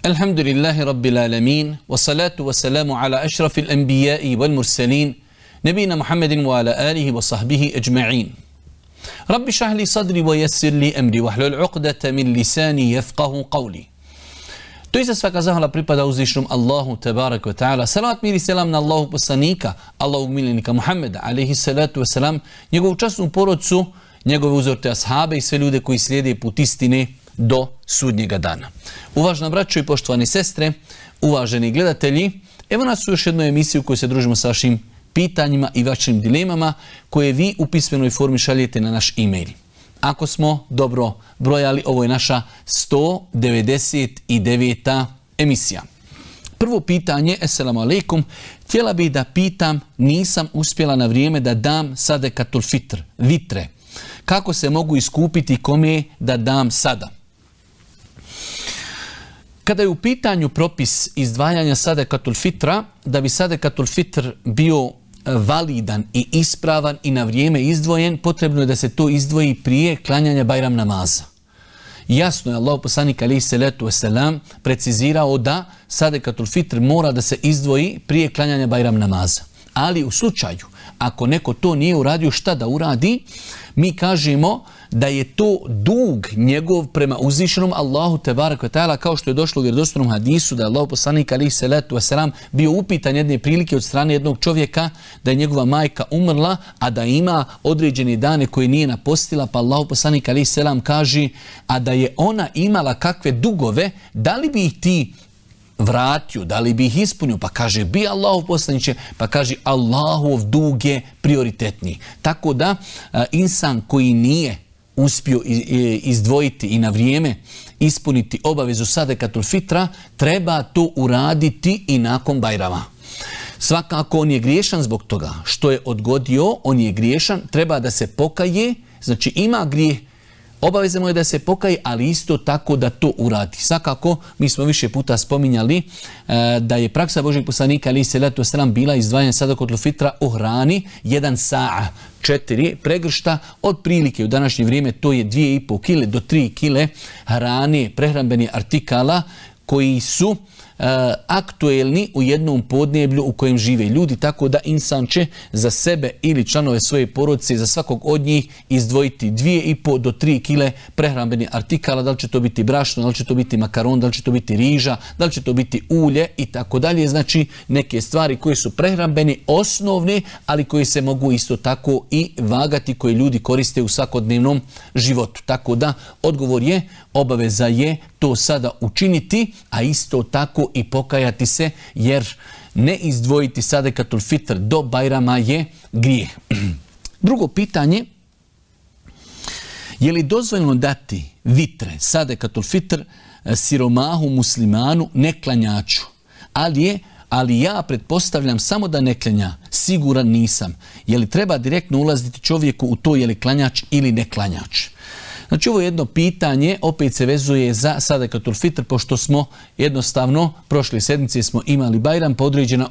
Alhamdulillahi Rabbil Alamin, wassalatu wassalamu ala ašrafil anbiya'i wal mursalin, nabina Muhammedin wa ala alihi wa sahbihi ajma'in. Rabbi šrah li sadri wa yassir li amri wahlul uqdata min lisani yafqahu qawli. To iza svaka zahvala pripada uzvišnom Allahu tabarak wa ta'ala. Salavat mir i selam na Allahu poslanika, Allahu miljenika Muhammeda, alaihi salatu wasalam, njegovu časnu porodcu, njegove uzorte ashabe i sve ljude koji slijede put istine do sudnjega dana. Uvažena braćo i poštovani sestre, uvaženi gledatelji, evo nas u još jednoj emisiji u kojoj se družimo sa vašim pitanjima i vašim dilemama koje vi u pismenoj formi šaljete na naš e-mail. Ako smo dobro brojali, ovo je naša 199. emisija. Prvo pitanje, assalamu alaikum, htjela bih da pitam, nisam uspjela na vrijeme da dam sadekatul fitr, vitre. Kako se mogu iskupiti, kome da dam sada? Kada je u pitanju propis izdvajanja sadekatul fitra, da bi sadekatul fitr bio validan i ispravan i na vrijeme izdvojen, potrebno je da se to izdvoji prije klanjanja Bajram namaza. Jasno je Allahu poslanik alejhi salatu vesselam precizirao da sadekatul fitr mora da se izdvoji prije klanjanja Bajram namaza. Ali u slučaju, ako neko to nije uradio, šta da uradi? Mi kažemo da je to dug njegov prema uzvišenom Allahu tebarek ve taala, kao što je došlo u vjerodostojnom hadisu da je Allahu poslanik alejhi salatu vesselam bio upitan jedne prilike od strane jednog čovjeka da je njegova majka umrla, a da ima određene dane koje nije napostila, pa Allahu poslanik alejhi selam kaže, a da je ona imala kakve dugove, da li bi ih ti vratio, da li bi ih ispunio? Pa kaže, bi Allahu poslaniče, pa kaže, Allahov dug je prioritetniji. Tako da insan koji nije uspio izdvojiti i na vrijeme ispuniti obavezu sadekatul fitra, treba to uraditi i nakon Bajrama. Svakako on je griješan zbog toga što je odgodio, on je griješan, treba da se pokaje, znači ima grijeh, obaveza mu je da se pokaje, ali isto tako da to uradi. Svakako, mi smo više puta spominjali da je praksa Božjeg poslanika alejhi salatu vesselam bila izdvajanje sadekatul fitra u hrani 1 sa'a, 4 pregršta, otprilike u današnje vrijeme to je 2,5 kile do 3 kile hrane, prehrambenih artikala koji su aktuelni u jednom podneblju u kojem žive ljudi, tako da insan će za sebe ili članove svoje porodice, za svakog od njih izdvojiti 2,5 do 3 kile prehrambenih artikala, da li će to biti brašno, da li će to biti makaron, da li će to biti riža, da li će to biti ulje i tako dalje. Znači neke stvari koje su prehrambene, osnovne, ali koje se mogu isto tako i vagati, koje ljudi koriste u svakodnevnom životu. Tako da odgovor je, obaveza je to sada učiniti, a isto tako i pokajati se, jer ne izdvojiti sadekatul fitr do Bajrama je grijeh. Drugo pitanje, je li dozvoljeno dati vitre, sadekatul fitr, siromahu, muslimanu, neklanjaču? Ali ja pretpostavljam samo da ne klanja, siguran nisam. Je li treba direktno ulaziti čovjeku u to je li klanjač ili ne klanjač? Znači ovo jedno pitanje opet se vezuje za sadekatul fitr, pošto smo jednostavno prošle sedmice smo imali Bajram, pa određena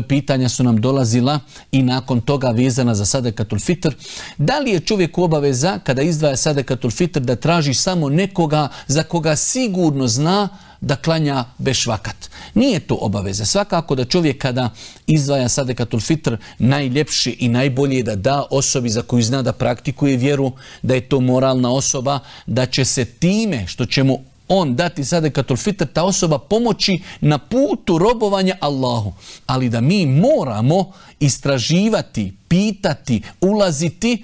pitanja su nam dolazila i nakon toga vezana za sadekatul fitr. Da li je čovjek obaveza kada izdvaja sadekatul fitr da traži samo nekoga za koga sigurno zna da klanja bešvakat? Nije to obaveza. Svakako da čovjek kada izdvaja sadekatul fitr, najljepše i najbolje da da osobi za koju zna da praktikuje vjeru, da je to moralna osoba, da će se time što će mu on dati sadekatul fitr, ta osoba pomoći na putu robovanja Allahu. Ali da mi moramo istraživati, pitati, ulaziti,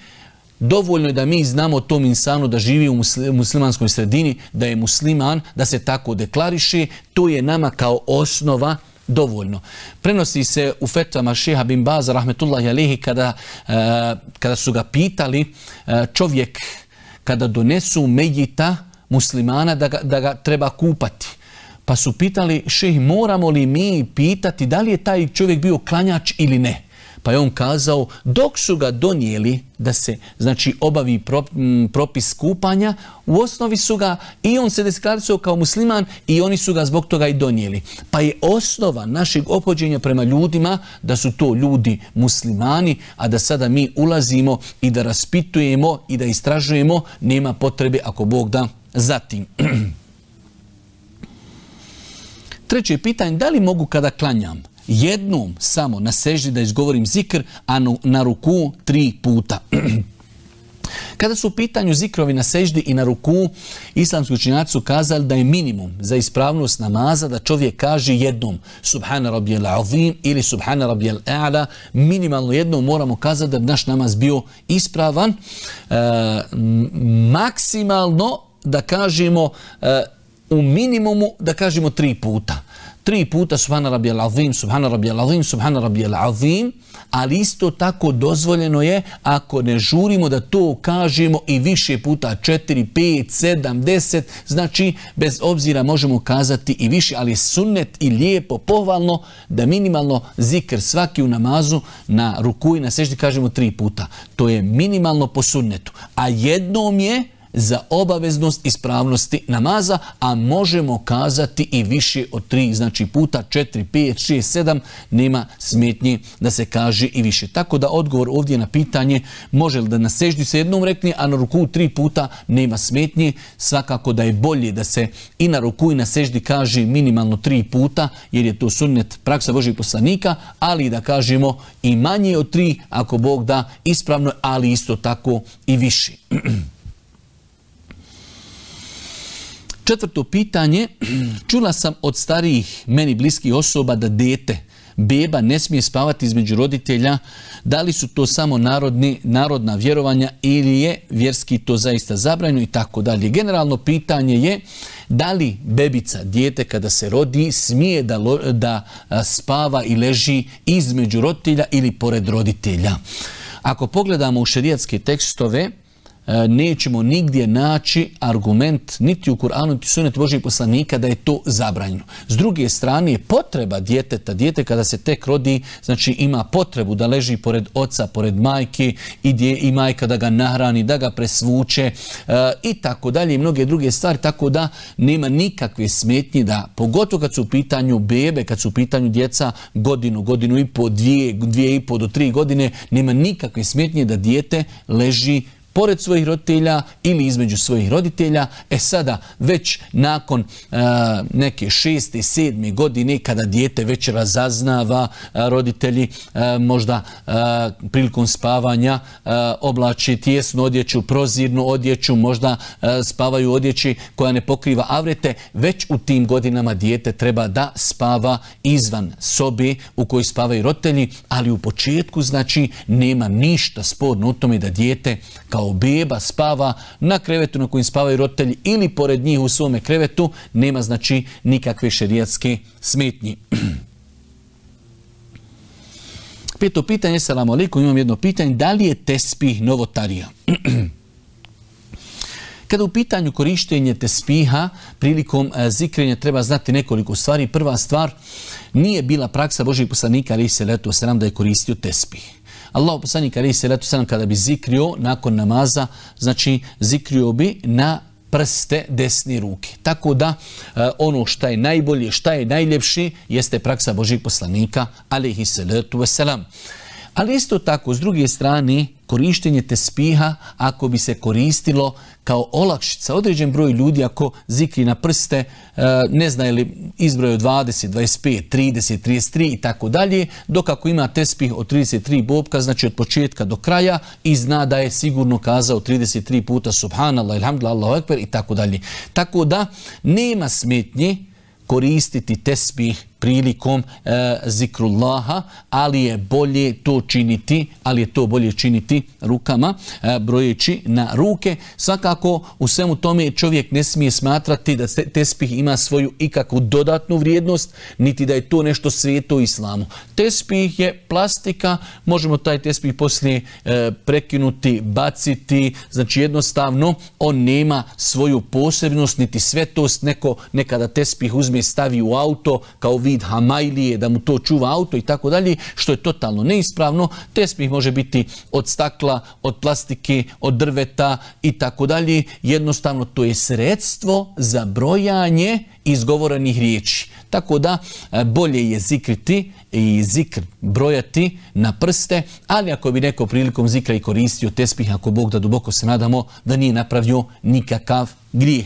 dovoljno je da mi znamo tom insanu da živi u muslimanskoj sredini, da je musliman, da se tako deklariše, to je nama kao osnova dovoljno. Prenosi se u fetvama šeha bin Baza, rahmetullahi alejhi, kada su ga pitali čovjek kada donesu mejita muslimana da ga treba kupati. Pa su pitali, šejh, moramo li mi pitati da li je taj čovjek bio klanjač ili ne? Pa je on kazao, dok su ga donijeli da se znači obavi propis kupanja, u osnovi su ga i on se deklarirao kao musliman i oni su ga zbog toga i donijeli. Pa je osnova našeg ophođenja prema ljudima da su to ljudi muslimani, a da sada mi ulazimo i da raspitujemo i da istražujemo, nema potrebe ako Bog da zatim. Treće pitanje, da li mogu kada klanjam jednom samo na seždi da izgovorim zikr, a na ruku 3 puta? Kada su u pitanju zikrovi na seždi i na ruku, islamski učenjaci su kazali da je minimum za ispravnost namaza da čovjek kaže jednom Subhana rabbijel azim ili Subhana rabbijel a'la, minimalno jednom moramo kazati da bi naš namaz bio ispravan. Maksimalno da kažemo u minimumu da kažemo 3 puta. 3 puta Subhana rabbijel azim, Subhana rabbijel azim, Subhana rabbijel azim, ali isto tako dozvoljeno je ako ne žurimo da to kažemo i više puta, 4, 5, 7, 10, znači bez obzira možemo kazati i više, ali sunnet i lijepo, pohvalno da minimalno zikr svaki u namazu na ruku i na seždi kažemo 3 puta. To je minimalno po sunnetu, a jednom je za obaveznost ispravnosti namaza, a možemo kazati i više od 3, znači puta 4, 5, 6, 7, nema smetnje da se kaže i više. Tako da odgovor ovdje na pitanje može li da na seždi se jednom rekne, a na ruku 3 puta nema smetnje. Svakako da je bolje da se i na ruku i na seždi kaže minimalno 3 puta, jer je to sunnet praksa Božjih poslanika, ali da kažemo i manje od 3, ako Bog da, ispravno, ali isto tako i više. Četvrto pitanje, čula sam od starijih meni bliskih osoba da beba ne smije spavati između roditelja. Da li su to samo narodna vjerovanja ili je vjerski to zaista zabranjeno i tako dalje. Generalno pitanje je da li bebica, dijete kada se rodi, smije da spava i leži između roditelja ili pored roditelja. Ako pogledamo u šerijatske tekstove, nećemo nigdje naći argument niti u Kur'anu niti u sunnetu Božjih poslanika da je to zabranjeno. S druge strane je potreba djeteta, dijete kada se tek rodi, znači ima potrebu da leži pored oca, pored majke i majka da ga nahrani, da ga presvuče i tako dalje i mnoge druge stvari, tako da nema nikakve smetnje da, pogotovo kad su u pitanju bebe, kad su u pitanju djeca godinu i po, 2,5 do 3 godine, nema nikakve smetnje da dijete leži pored svojih roditelja ili između svojih roditelja. Sada već nakon neke 6. 7. godine kada dijete već razaznava, roditelji možda prilikom spavanja oblači tijesnu odjeću, prozirnu odjeću, možda spavaju u odjeći koja ne pokriva avrete, već u tim godinama dijete treba da spava izvan sobe u kojoj spavaju roditelji, ali u početku znači nema ništa sporno u tome da dijete kao beba spava na krevetu na kojem spavaju roditelji ili pored njih u svome krevetu, nema znači nikakve šerijatske smetnje. Peto pitanje, selamu alejkum, imam jedno pitanje, da li je tespih novotarija? Kada u pitanju korištenje tespiha prilikom zikrenja treba znati nekoliko stvari. Prva stvar, nije bila praksa Božjih poslanika alejhi selatu vesselam da je koristio tespih. Allahu poslanik alejhi selatu vesselam kada bi zikrio nakon namaza, znači zikrio bi na prste desne ruke. Tako da ono što je najbolje, što je najljepše jeste praksa Božjih poslanika alejhi selatu vesselam. Ali isto tako, s druge strane, korištenje tespiha, ako bi se koristilo kao olakšica, određen broj ljudi ako zikri na prste, ne zna li izbroj od 20, 25, 30, 33 i tako dalje, dok ako ima tespih od 33 bobka, znači od početka do kraja i zna da je sigurno kazao 33 puta subhanallah, ilhamdulillah, Allahu ekber i tako dalje. Tako da nema smetnje koristiti tespih prilikom zikrullaha, ali je bolje to činiti, rukama, brojeći na ruke. Svakako u svemu tome čovjek ne smije smatrati da tespih ima svoju ikakvu dodatnu vrijednost, niti da je to nešto sveto u islamu. Tespih je plastika, možemo taj tespih poslije prekinuti, baciti, znači jednostavno on nema svoju posebnost niti svetost. Neko nekada tespih uzme, stavi u auto kao vid hamajlije, da mu to čuva auto i tako dalje, što je totalno neispravno. Tespih može biti od stakla, od plastike, od drveta i tako dalje. Jednostavno to je sredstvo za brojanje izgovorenih riječi. Tako da bolje je zikriti i zikr brojati na prste, ali ako bi neko prilikom zikra i koristio tespih, ako Bog da, duboko se nadamo da nije napravio nikakav grijeh.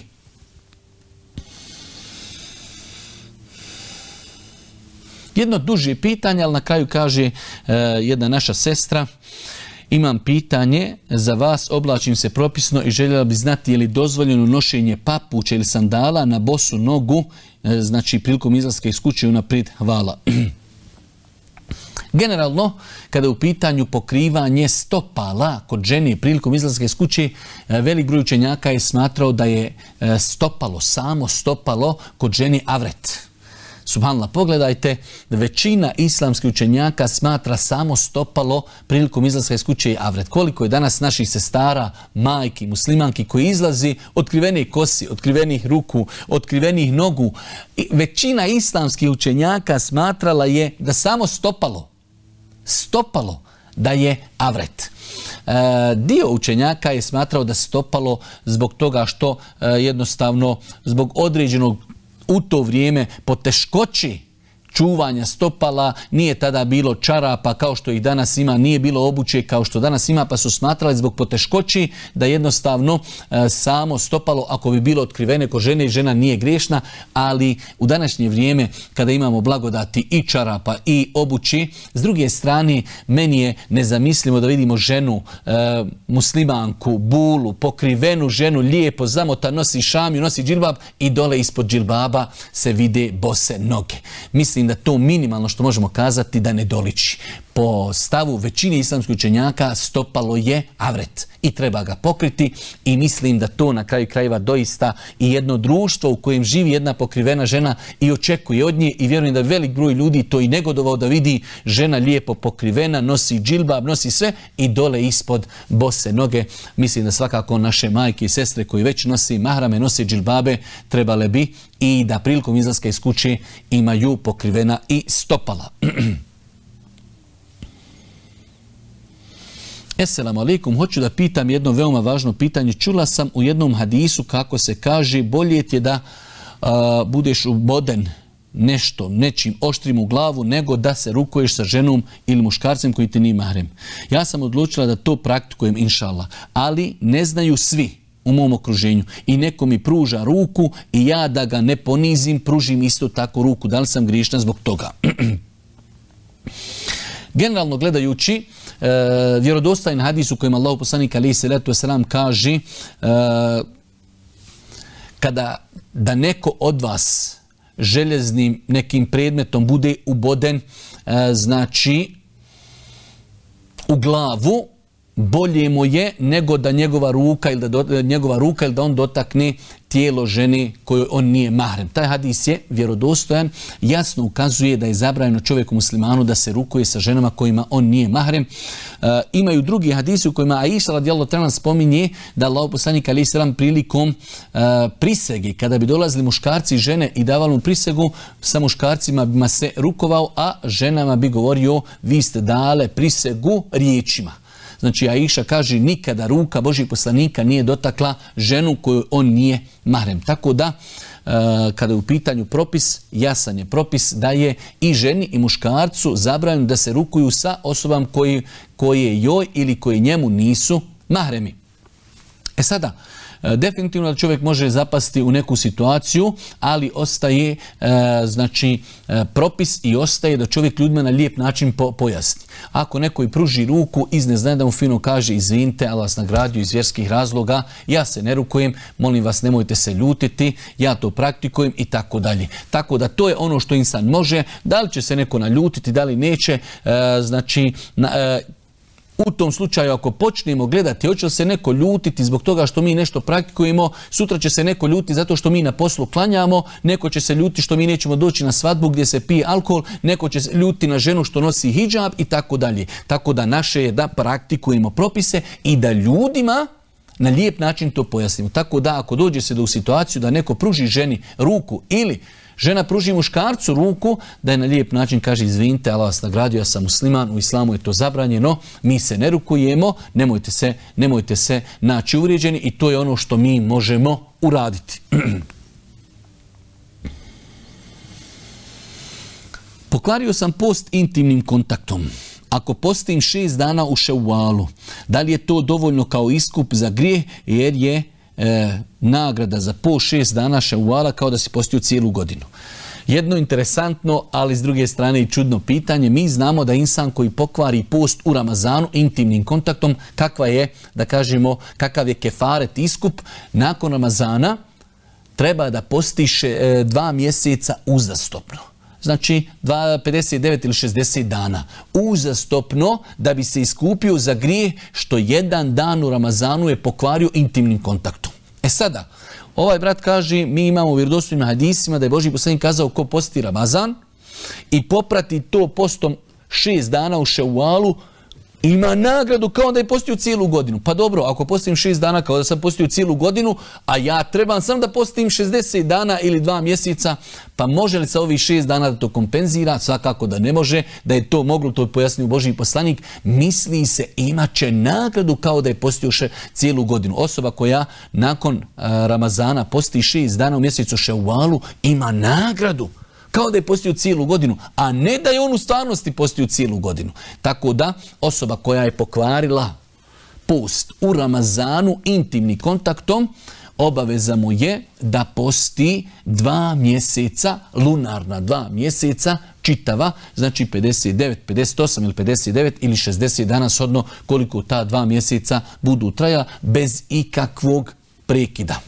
Jedno duže pitanje, ali na kraju kaže jedna naša sestra, imam pitanje za vas, oblačim se propisno i željela bi znati je li dozvoljeno nošenje papuča ili sandala na bosu nogu, znači prilikom izlaska iz kuće unaprijed. Hvala. Generalno, kada je u pitanju pokrivanje stopala kod žene prilikom izlaska iz kuće, velik broj učenjaka je smatrao da je stopalo, samo stopalo kod žene avret. Subhanallah, pogledajte, većina islamskih učenjaka smatra samo stopalo prilikom izlaska iz kuće i avret. Koliko je danas naših sestara, majki, muslimanki koji izlazi otkrivenih kosi, otkrivenih ruku, otkrivenih nogu. Većina islamskih učenjaka smatrala je da samo stopalo da je avret. Dio učenjaka je smatrao da stopalo zbog toga što jednostavno zbog određenog u to vrijeme poteškoći čuvanja stopala, nije tada bilo čarapa kao što ih danas ima, nije bilo obuće kao što danas ima, pa su smatrali zbog poteškoći da jednostavno samo stopalo, ako bi bilo otkrivene kod žene, žena nije griješna, ali u današnje vrijeme kada imamo blagodati i čarapa i obući, s druge strane meni je nezamislivo da vidimo ženu, muslimanku, bulu, pokrivenu ženu, lijepo zamota, nosi šamiju, nosi džilbab i dole ispod džilbaba se vide bose noge. Mislim da to minimalno što možemo kazati da ne doliči. Po stavu većine islamskih učenjaka stopalo je avret i treba ga pokriti i mislim da to na kraju krajeva doista i jedno društvo u kojem živi jedna pokrivena žena i očekuje od nje i vjerujem da velik broj ljudi to i negodovao da vidi žena lijepo pokrivena, nosi džilbab, nosi sve i dole ispod bose noge. Mislim da svakako naše majke i sestre koji već nosi mahrame, nosi džilbabe, trebale bi i da prilikom izlaska iz kuće imaju pokrivena i stopala. Esselamu alaikum, hoću da pitam jedno veoma važno pitanje. Čula sam u jednom hadisu kako se kaže bolje ti je da budeš uboden nečim oštrim u glavu nego da se rukuješ sa ženom ili muškarcem koji ti nije mahrem. Ja sam odlučila da to praktikujem inšallah, ali ne znaju svi u mom okruženju i neko mi pruža ruku i ja da ga ne ponizim, pružim isto tako ruku. Da li sam griješna zbog toga? Generalno gledajući, vjerodostojan hadis u kojem Allahu poslanik alejhi selatu vesselam kaže da neko od vas željeznim nekim predmetom bude uboden, znači u glavu, bolje mu je nego da njegova ruka ili da on dotakne tijelo žene kojoj on nije mahrem. Taj hadis je vjerodostojan, jasno ukazuje da je zabranjeno čovjeku muslimanu da se rukuje sa ženama kojima on nije mahrem. Imaju drugi hadisi u kojima Aisha radijallahu ta'ala spominje da Allahov poslanik alejhi selam prilikom prisege, kada bi dolazili muškarci i žene i davali mu prisegu, sa muškarcima bi se rukovao, a ženama bi govorio vi ste dale prisegu riječima. Znači, Aisha kaže nikada ruka Božjeg poslanika nije dotakla ženu koju on nije mahrem. Tako da, kada je u pitanju propis, jasan je propis da je i ženi i muškarcu zabranjeno da se rukuju sa osobama koje joj ili koje njemu nisu mahremi. Sada, definitivno da čovjek može zapasti u neku situaciju, ali ostaje propis i ostaje da čovjek ljudima na lijep način pojasni. Ako neko i pruži ruku iz neznanja da mu fino kaže izvinite, Allah vas nagradio iz vjerskih razloga, ja se ne rukujem, molim vas nemojte se ljutiti, ja to praktikujem i tako dalje. Tako da to je ono što insan može, da li će se neko naljutiti, da li neće, u tom slučaju ako počnemo gledati hoće li se neko ljutiti zbog toga što mi nešto praktikujemo, sutra će se neko ljutiti zato što mi na poslu klanjamo, neko će se ljutiti što mi nećemo doći na svadbu gdje se pije alkohol, neko će se ljutiti na ženu što nosi hidžab i tako dalje. Tako da naše je da praktikujemo propise i da ljudima na lijep način to pojasnimo. Tako da ako dođe se u situaciju da neko pruži ženi ruku ili žena pruži muškarcu ruku, da je na lijep način kaže izvinite, Allah vas nagradio, ja sam musliman, u islamu je to zabranjeno, mi se ne rukujemo, nemojte se naći uvrijeđeni i to je ono što mi možemo uraditi. Pokvario sam post intimnim kontaktom. Ako postim 6 dana u Ševalu, da li je to dovoljno kao iskup za grijeh, jer je nagrada za po 6 dana Ševala kao da si postio cijelu godinu. Jedno interesantno, ali s druge strane i čudno pitanje. Mi znamo da insan koji pokvari post u Ramazanu intimnim kontaktom, kakav je kefaret iskup, nakon Ramazana treba da postiše 2 mjeseca uzastopno. Znači 59 ili 60 dana uzastopno da bi se iskupio za grijeh što jedan dan u Ramazanu je pokvario intimnim kontaktom. Sada, ovaj brat kaže, mi imamo u vjerodostojnim hadisima da je Božji poslanik kazao ko posti Ramazan i poprati to postom 6 dana u Ševalu, ima nagradu kao da je postio cijelu godinu. Pa dobro, ako postim 6 dana kao da sam postio cijelu godinu, a ja trebam sam da postim 60 dana ili 2 mjeseca, pa može li sa ovih 6 dana da to kompenzira? Svakako da ne može. Da je to moglo, to je pojasnio Božji poslanik. Misli se, imat će nagradu kao da je postio cijelu godinu. Osoba koja nakon Ramazana posti 6 dana u mjesecu Ševalu ima nagradu kao da je postio cijelu godinu, a ne da je on u stvarnosti postio cijelu godinu. Tako da osoba koja je pokvarila post u Ramazanu intimnim kontaktom, obaveza mu je da posti 2 mjeseca, lunarna 2 mjeseca, čitava, znači 59, 58 ili 59 ili 60 dana, shodno koliko ta 2 mjeseca budu trajala, bez ikakvog prekida.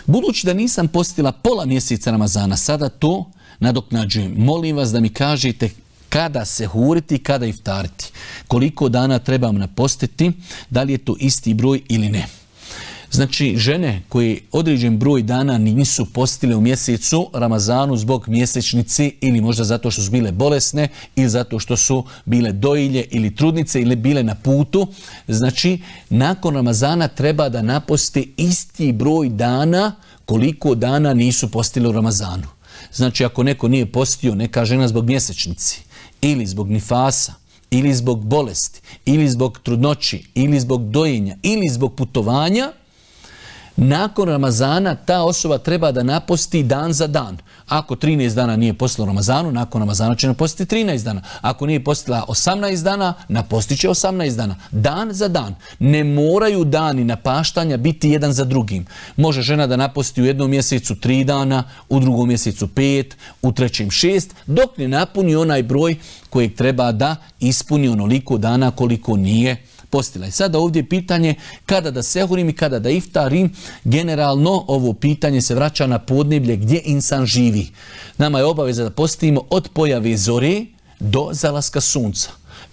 Budući da nisam postila pola mjeseca Ramazana, sada to nadoknađujem. Molim vas da mi kažete kada sehuriti, kada iftariti. Koliko dana trebam napostiti, da li je to isti broj ili ne. Znači, žene koje određen broj dana nisu postile u mjesecu Ramazanu zbog mjesečnice ili možda zato što su bile bolesne ili zato što su bile dojilje ili trudnice ili bile na putu. Znači, nakon Ramazana treba da naposte isti broj dana koliko dana nisu postile u Ramazanu. Znači, ako neko nije postio, neka žena zbog mjesečnice ili zbog nifasa, ili zbog bolesti, ili zbog trudnoći, ili zbog dojenja, ili zbog putovanja, nakon Ramazana ta osoba treba da naposti dan za dan. Ako 13 dana nije postila u Ramazanu, nakon Ramazana će napostiti 13 dana. Ako nije postila 18 dana, napostit će 18 dana. Dan za dan. Ne moraju dani napaštanja biti jedan za drugim. Može žena da naposti u jednom mjesecu 3 dana, u drugom mjesecu 5, u trećem 6, dok ne napuni onaj broj kojeg treba da ispuni onoliko dana koliko nije postila. I sada ovdje pitanje kada da sehurim i kada da iftarim. Generalno ovo pitanje se vraća na podneblje gdje insan živi. Nama je obaveza da postimo od pojave zore do zalaska sunca.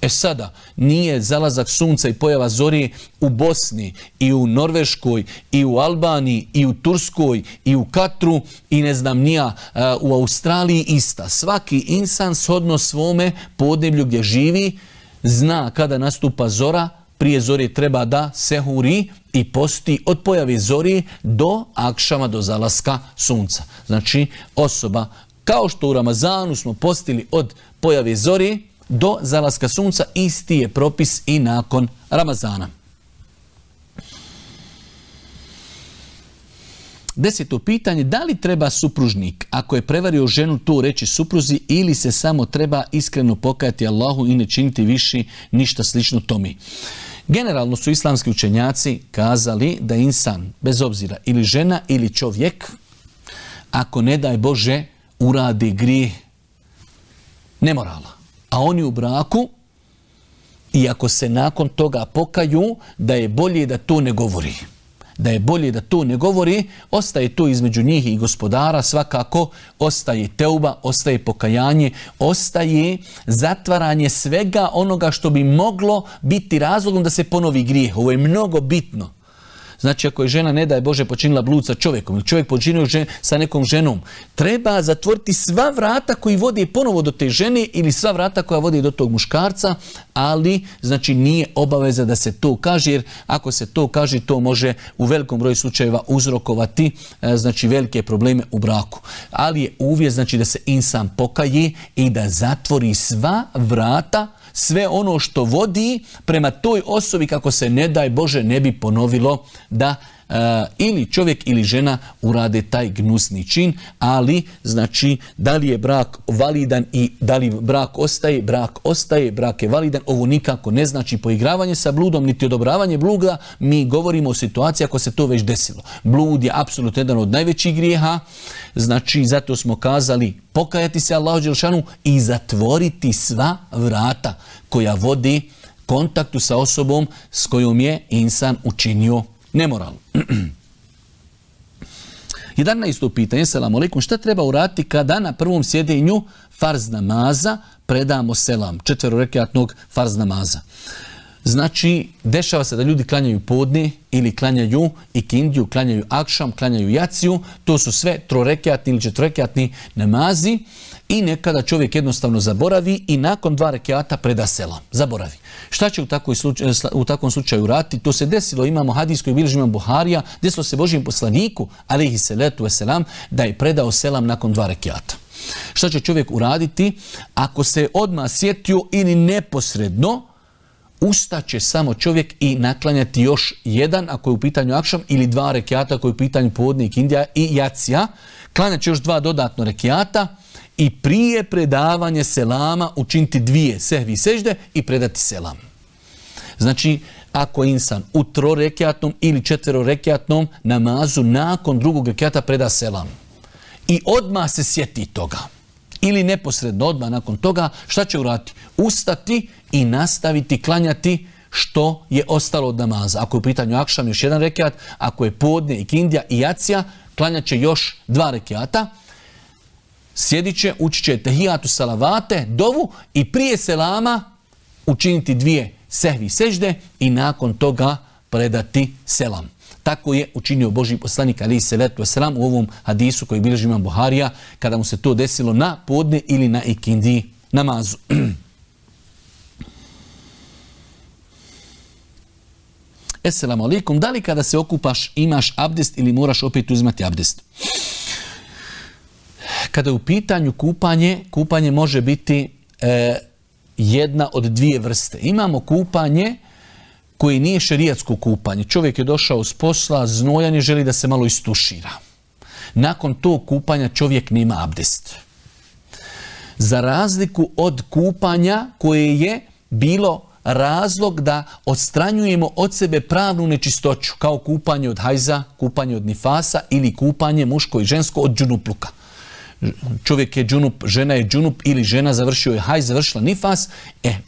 Sada, nije zalazak sunca i pojava zore u Bosni i u Norveškoj i u Albaniji i u Turskoj i u Katru i ne znam nija u Australiji ista. Svaki insan shodno svome podneblju gdje živi zna kada nastupa zora. Prije zore treba da sehuri i posti od pojave zore do akšama, do zalaska sunca. Znači, osoba, kao što u Ramazanu smo postili od pojave zore do zalaska sunca, isti je propis i nakon Ramazana. 10. pitanje, da li treba supružnik, ako je prevario ženu, to reći supruzi ili se samo treba iskreno pokajati Allahu i ne činiti više ništa slično tome? Generalno su islamski učenjaci kazali da insan, bez obzira ili žena ili čovjek, ako ne daj Bože uradi grijeh nemorala, a oni u braku, i ako se nakon toga pokaju, da je bolje da to ne govori. Da je bolje da to ne govori, ostaje to između njih i gospodara, svakako ostaje teuba, ostaje pokajanje, ostaje zatvaranje svega onoga što bi moglo biti razlogom da se ponovi grijeh. Ovo je mnogo bitno. Znači, ako je žena, ne daj Bože, počinila blud sa čovjekom ili čovjek počinio sa nekom ženom, treba zatvoriti sva vrata koji vode ponovo do te žene ili sva vrata koja vode do tog muškarca, ali znači nije obaveza da se to kaže, jer ako se to kaže, to može u velikom broju slučajeva uzrokovati znači velike probleme u braku. Ali je uvjet znači da se insan pokaje i da zatvori sva vrata, sve ono što vodi prema toj osobi kako se ne daj Bože ne bi ponovilo da ili čovjek ili žena urade taj gnusni čin, ali znači da li je brak validan i da li brak ostaje, brak je validan, ovo nikako ne znači poigravanje sa bludom, niti odobravanje bluda, mi govorimo o situaciji ako se to već desilo. Blud je apsolutno jedan od najvećih grijeha, znači zato smo kazali pokajati se Allahu dželešanu i zatvoriti sva vrata koja vodi kontaktu sa osobom s kojom je insan učinio nemoral. 11. pitanje, selamu alejkum, šta treba uraditi kada na prvom sjedenju farz namaza predamo selam, 4 rekatnog farz namaza? Znači, dešava se da ljudi klanjaju podne ili klanjaju ikindiju, klanjaju akšam, klanjaju jaciju, to su sve 3-rekatni ili 4-rekatni namazi i nekada čovjek jednostavno zaboravi i nakon 2 rekata preda selam. Zaboravi. Šta će u takvom slučaju raditi? To se desilo, imamo hadis koji bilježi imam Buharija, desilo se Božijem poslaniku, alejhi salatu vesselam, da je predao selam nakon 2 rekata. Šta će čovjek uraditi? Ako se odmah sjetio ili neposredno, ustaće samo čovjek i naklanjati još jedan, ako je u pitanju akšam, ili 2 rekata, ako je u pitanju podne, ikindija i jacija. Klanjat će još 2 dodatno rekata i prije predavanja selama učiniti 2 sehvi sežde i predati selam. Znači, ako insan u 3-rekatnom ili 4-rekatnom namazu nakon 2. rekata preda selam i odmah se sjeti toga, ili neposredno odmah nakon toga, šta će uraditi? Ustati i nastaviti klanjati što je ostalo od namaza. Ako je u pitanju akšam još 1 rekat, ako je podne, ikindija i jacija, klanjat će još 2 rekata, sjedit će, učit će tehijatu salavate, dovu i prije selama učiniti 2 sehvi sežde i nakon toga predati selam. Tako je učinio Božji poslanik alejhi salatu vesselam u ovom hadisu koji bilježi imam Buharija kada mu se to desilo na podne ili na ikindiji namazu. Esselamu alejkum, da li kada se okupaš imaš abdest ili moraš opet uzimati abdest? Kada je u pitanju kupanje može biti jedna od 2 vrste. Imamo kupanje koje nije šerijatsko kupanje. Čovjek je došao s posla, znojan je, želi da se malo istušira. Nakon tog kupanja čovjek nema abdest. Za razliku od kupanja koje je bilo razlog da odstranjujemo od sebe pravnu nečistoću, kao kupanje od hajza, kupanje od nifasa ili kupanje muško i žensko od džunupluka. Čovjek je džunup, žena je džunup ili žena završio je hajz, završila nifas.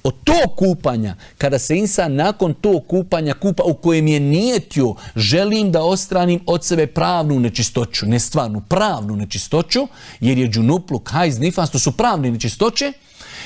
Od tog kupanja, kada se insan nakon tog kupanja kupa u kojem je nijetio, želim da odstranim od sebe pravnu nečistoću, ne stvarnu, pravnu nečistoću, jer je džunupluk, hajz, nifas, to su pravne nečistoće.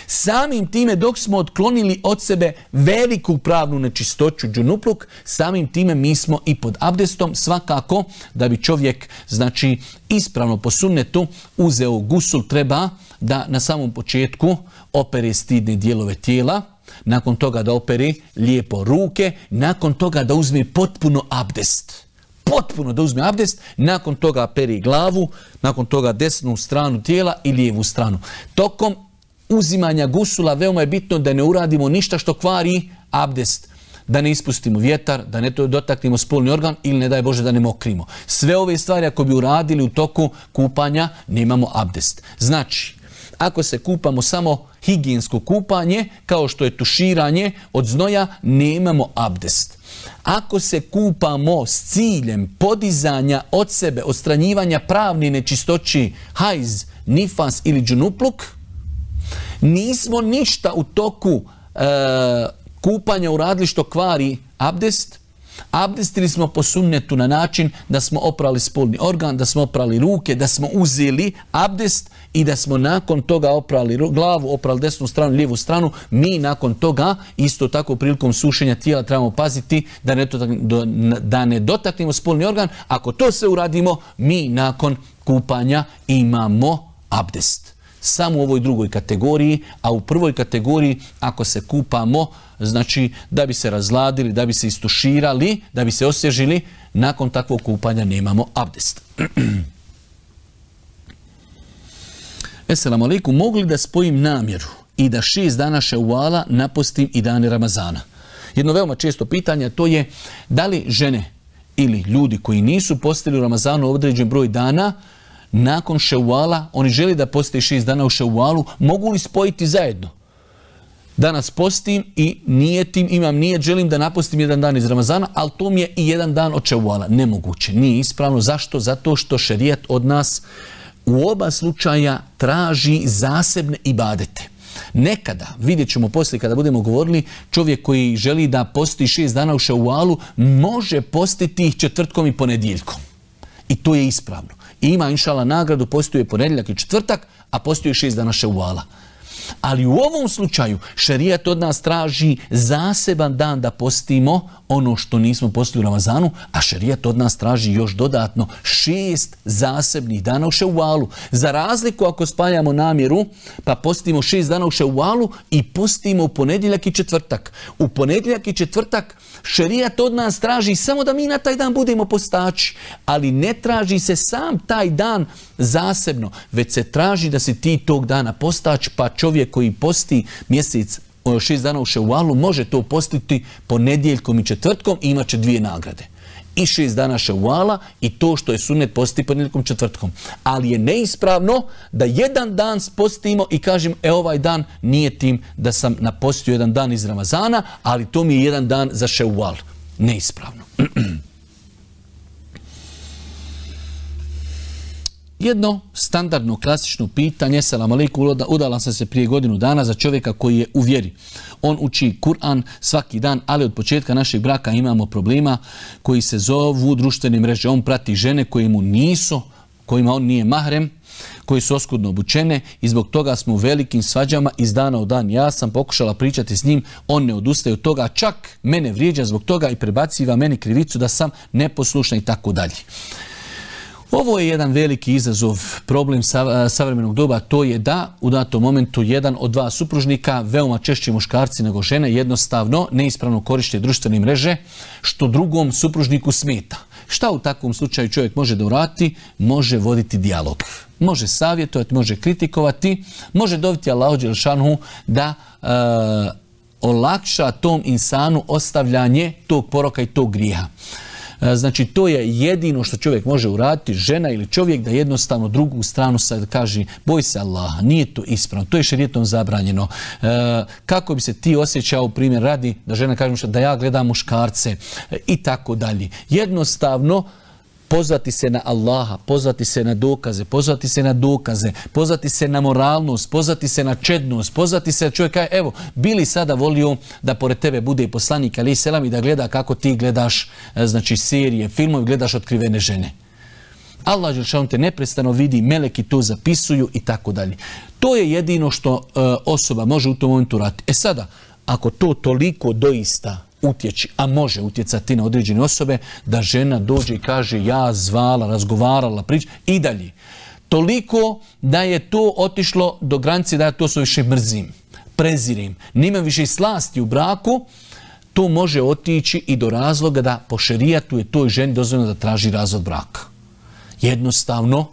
Samim time dok smo otklonili od sebe veliku pravnu nečistoću džunupluk, samim time mi smo i pod abdestom. Svakako da bi čovjek, znači, ispravno po sunnetu uzeo gusul, treba da na samom početku opere stidne dijelove tijela, nakon toga da opere lijepo ruke, nakon toga da uzme potpuno abdest. Potpuno da uzme abdest, nakon toga peri glavu, nakon toga desnu stranu tijela i lijevu stranu. Tokom uzimanja gusula veoma je bitno da ne uradimo ništa što kvari abdest. Da ne ispustimo vjetar, da ne dotaknemo spolni organ ili ne daj Bože da ne mokrimo. Sve ove stvari ako bi uradili u toku kupanja, nemamo abdest. Znači, ako se kupamo samo higijensko kupanje, kao što je tuširanje od znoja, nemamo abdest. Ako se kupamo s ciljem podizanja od sebe, odstranjivanja pravne nečistoći, hajz, nifas ili džunupluk, nismo ništa u toku kupanja uradili što kvari abdest. Abdestili smo po sunnetu na način da smo oprali spolni organ, da smo oprali ruke, da smo uzeli abdest i da smo nakon toga oprali glavu, oprali desnu stranu, lijevu stranu. Mi nakon toga, isto tako prilikom sušenja tijela, trebamo paziti da ne dotaknemo spolni organ. Ako to sve uradimo, mi nakon kupanja imamo abdest. Samo u ovoj drugoj kategoriji, a u prvoj kategoriji ako se kupamo, znači da bi se razladili, da bi se istuširali, da bi se osvježili, nakon takvog kupanja nemamo abdest. Esselamu alejkum, mogu li da spojim namjeru i da 6 dana Ševala napostim i dane Ramazana? Jedno veoma često pitanje, to je da li žene ili ljudi koji nisu postili u Ramazanu određen broj dana, nakon Ševala, oni žele da poste 6 dana u Ševalu, mogu li spojiti zajedno? Danas postim i nijetim, imam nijet, želim da napostim 1 dan iz Ramazana, ali to mi je i 1 dan od Ševala. Nemoguće, nije ispravno. Zašto? Zato što šerijat od nas u oba slučaja traži zasebne ibadete. Nekada, vidjet ćemo poslije kada budemo govorili, čovjek koji želi da posti 6 dana u Ševalu može postiti ih četvrtkom i ponedjeljkom. I to je ispravno. I ima inšala nagradu, postuje ponedjeljak i četvrtak, a postuje 6 dana Ševala. Ali u ovom slučaju šerijat od nas traži zaseban dan da postimo ono što nismo postili u Ramazanu, a šerijat od nas traži još dodatno 6 zasebnih dana u Ševalu. Za razliku ako spajamo namjeru, pa postimo 6 dana u Ševalu i postimo u ponedjeljak i četvrtak. U ponedjeljak i četvrtak šerijat od nas traži samo da mi na taj dan budemo postači, ali ne traži se sam taj dan zasebno, već se traži da si ti tog dana postać, pa čovjek koji posti mjesec 6 dana u Ševalu može to postiti ponedjeljkom i četvrtkom i imat će 2 nagrade. I 6 dana Ševala i to što je sunnet posti ponedjeljkom i četvrtkom. Ali je neispravno da 1 dan postimo i kažem ovaj dan nije tim da sam napostio 1 dan iz Ramazana, ali to mi je 1 dan za Ševal. Neispravno. Jedno standardno klasično pitanje, selam alejkum, udala sam se prije godinu dana za čovjeka koji je u vjeri. On uči Kur'an svaki dan, ali od početka našeg braka imamo problema koji se zovu društvene mreže. On prati žene koje mu nisu, kojima on nije mahrem, koji su oskudno obučene i zbog toga smo u velikim svađama iz dana u dan. Ja sam pokušala pričati s njim, on ne odustaje od toga, čak mene vrijeđa zbog toga i prebaciva meni krivicu da sam neposlušna i tako dalje. Ovo je jedan veliki izazov, problem savremenog doba, to je da u datom momentu jedan od 2 supružnika, veoma češće muškarci nego žene, jednostavno neispravno koriste društvene mreže, što drugom supružniku smeta. Šta u takvom slučaju čovjek može da uradi? Može voditi dijalog. Može savjetovati, može kritikovati, može dobiti Allahu dželešanu da olakša tom insanu ostavljanje tog poroka i tog grijeha. Znači, to je jedino što čovjek može uraditi, žena ili čovjek, da jednostavno drugu stranu sad kaže boj se Allaha, nije to ispravno, to je šerijetom zabranjeno. Kako bi se ti osjećao, primjer radi, da žena kaže da ja gledam muškarce i tako dalje. Jednostavno, pozvati se na Allaha, pozvati se na dokaze, pozvati se na dokaze, pozvati se na moralnost, pozvati se na čednost, pozvati se na čovjeka, evo, bili sada volio da pored tebe bude i poslanik, ali selam, i da gleda kako ti gledaš, znači, serije, filmove, gledaš otkrivene žene. Allah dželešanu te neprestano vidi, meleki to zapisuju i tako dalje. To je jedino što osoba može u tom momentu raditi. Sada, ako to toliko doista utječi, a može utjecati na određene osobe, da žena dođe i kaže ja zvala, razgovarala, priča i dalje. Toliko da je to otišlo do granice da ja to sve više mrzim, prezirim, nima više slasti u braku, to može otići i do razloga da po šerijatu je toj ženi dozvoljeno da traži razvod braka. Jednostavno,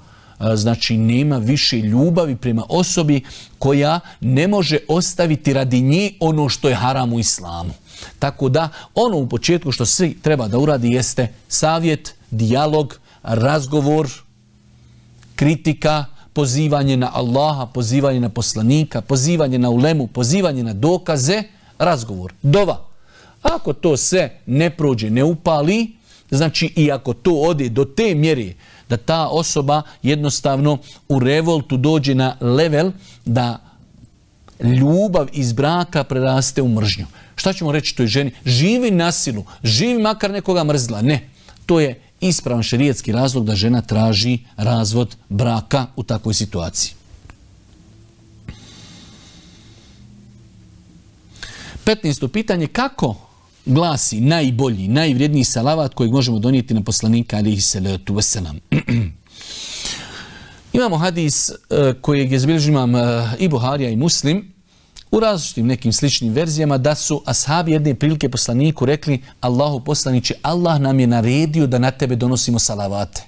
znači nema više ljubavi prema osobi koja ne može ostaviti radi nje ono što je haram u islamu. Tako da ono u početku što svi treba da uradi jeste savjet, dijalog, razgovor, kritika, pozivanje na Allaha, pozivanje na poslanika, pozivanje na ulemu, pozivanje na dokaze, razgovor, dova. Ako to sve ne prođe, ne upali, znači i ako to ode do te mjere da ta osoba jednostavno u revoltu dođe na level da ljubav iz braka preraste u mržnju. Šta ćemo reći toj ženi? Živi na silu, živi makar nekoga mrzla. Ne, to je ispravan šerijetski razlog da žena traži razvod braka u takvoj situaciji. 15. pitanje, kako glasi najbolji, najvrijedniji salavat kojeg možemo donijeti na poslanika alejhi salatu vesselam? Imamo hadis kojeg je zabilježio imam i Buharija i Muslim u različitim nekim sličnim verzijama, da su ashabi jedne prilike poslaniku rekli: Allahu poslaniče, Allah nam je naredio da na tebe donosimo salavate.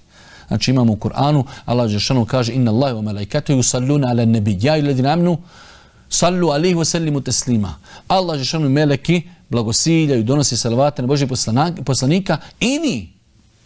Znači imamo u Kur'anu, Allah dželešanu kaže: Inna Allaha wa malaikatahu yusalluna ala nabi ya ayyuhalladhina amanu sallu alejhi wa sallimu taslima. Allah dželešanu meleki blagosiljaju, donose salavate na Božjeg poslanika i vi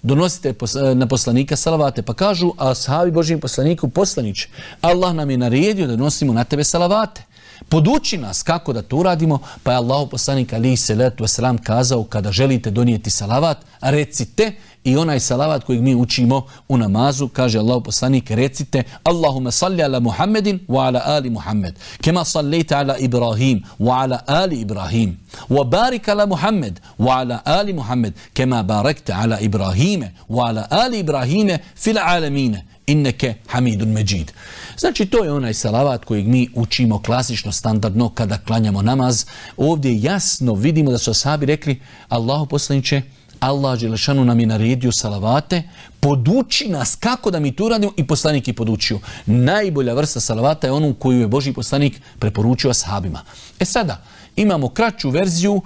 donosite na poslanika salavate. Pa kažu ashabi Božjem poslaniku, poslaniče, Allah nam je naredio da nosimo na tebe salavate. Poduči nas kako da to uradimo, pa je Allahu poslanik alejhi selatu vesselam kazao kada želite donijeti salavat, recite i onaj salavat kojeg mi učimo u namazu, kaže Allahu poslanik, recite Allahumma salli ala Muhammedin wa ala ali Muhammed, kema sallaita ala Ibrahim wa ala ali Ibrahim, wa barik ala Muhammed wa ala ali Muhammed, kema barakta ala Ibrahime wa ala ali Ibrahime fil alamine, inneke hamidun međid. Znači, to je onaj salavat kojeg mi učimo klasično, standardno kada klanjamo namaz. Ovdje jasno vidimo da su ashabi rekli, Allahu poslaniče, Allah dželešanu nam je naredio salavate, poduči nas kako da mi to radimo, i poslanik je podučio. Najbolja vrsta salavata je onu koju je Božji poslanik preporučio ashabima. Sada, imamo kraću verziju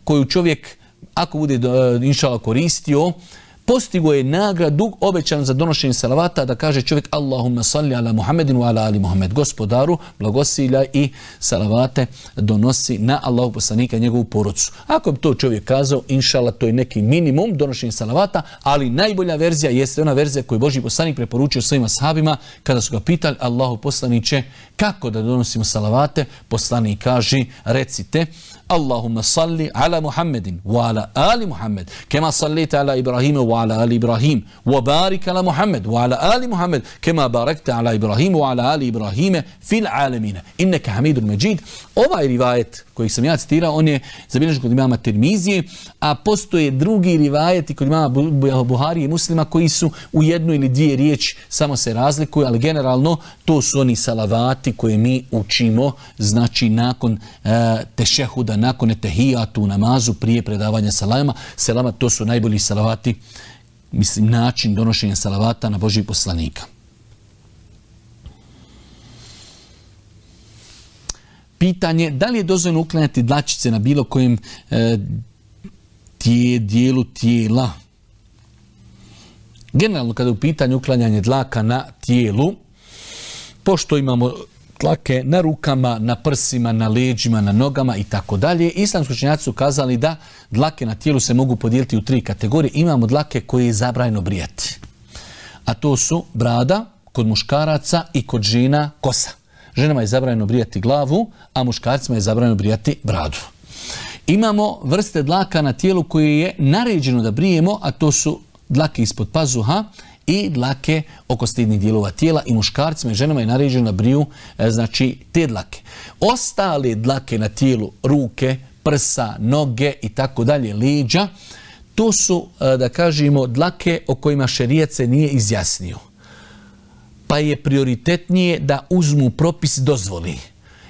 koju čovjek, ako bude inšala koristio, postigo je nagradu obećan za donošenje salavata, da kaže čovjek Allahumma salli ala Muhammedin wa ala ali Muhammed, gospodaru blagosilja i salavate donosi na Allahu poslanika i njegovu porodcu. Ako bi to čovjek kazao, inšala, to je neki minimum donošenja salavata, ali najbolja verzija jeste ona verzija koju Božji poslanik preporučio svojim ashabima kada su ga pitali, Allahu poslaniče, kako da donosimo salavate? Poslanik kaže, recite Allahumma salli ala Muhammedin wa ala ali Muhammed, kema sallita ala Ibrahima wa ala ali Ibrahim, wa barik ala Muhammed wa ala ali Muhammed, kema barakta ala Ibrahima wa ala ali Ibrahime fil alamine, inneke hamidun međid. Ovaj rivajet koji sam ja citirao, on je zabilježen kod imama Tirmizije, a postoje drugi rivajeti kod imama Buharije i Muslima koji su u jednu ili dvije riječi, samo se razlikuju, ali generalno to su oni salavati koje mi učimo, znači nakon tešehuda, nakon etehijatu u namazu, prije predavanja selama, to su najbolji salavati, mislim, način donošenja salavata na Božjeg poslanika. Pitanje, da li je dozvoljeno uklanjati dlačice na bilo kojem dijelu tijela? Generalno, kada je u pitanju uklanjanje dlaka na tijelu, pošto imamo dlake na rukama, na prsima, na leđima, na nogama i tako dalje, islamski učenjaci su kazali da dlake na tijelu se mogu podijeliti u 3 kategorije. Imamo dlake koje je zabranjeno brijati, a to su brada kod muškaraca i kod žena kosa. Ženama je zabranjeno brijati glavu, a muškarcima je zabranjeno brijati bradu. Imamo vrste dlaka na tijelu koje je naređeno da brijemo, a to su dlake ispod pazuha i dlake oko stidnih dijelova tijela, i muškarcima i ženama je naređeno da briju znači te dlake. Ostale dlake na tijelu, ruke, prsa, noge i tako dalje, leđa, to su, da kažemo, dlake o kojima šerijat se nije izjasnio, pa je prioritetnije da uzmu propis dozvoli.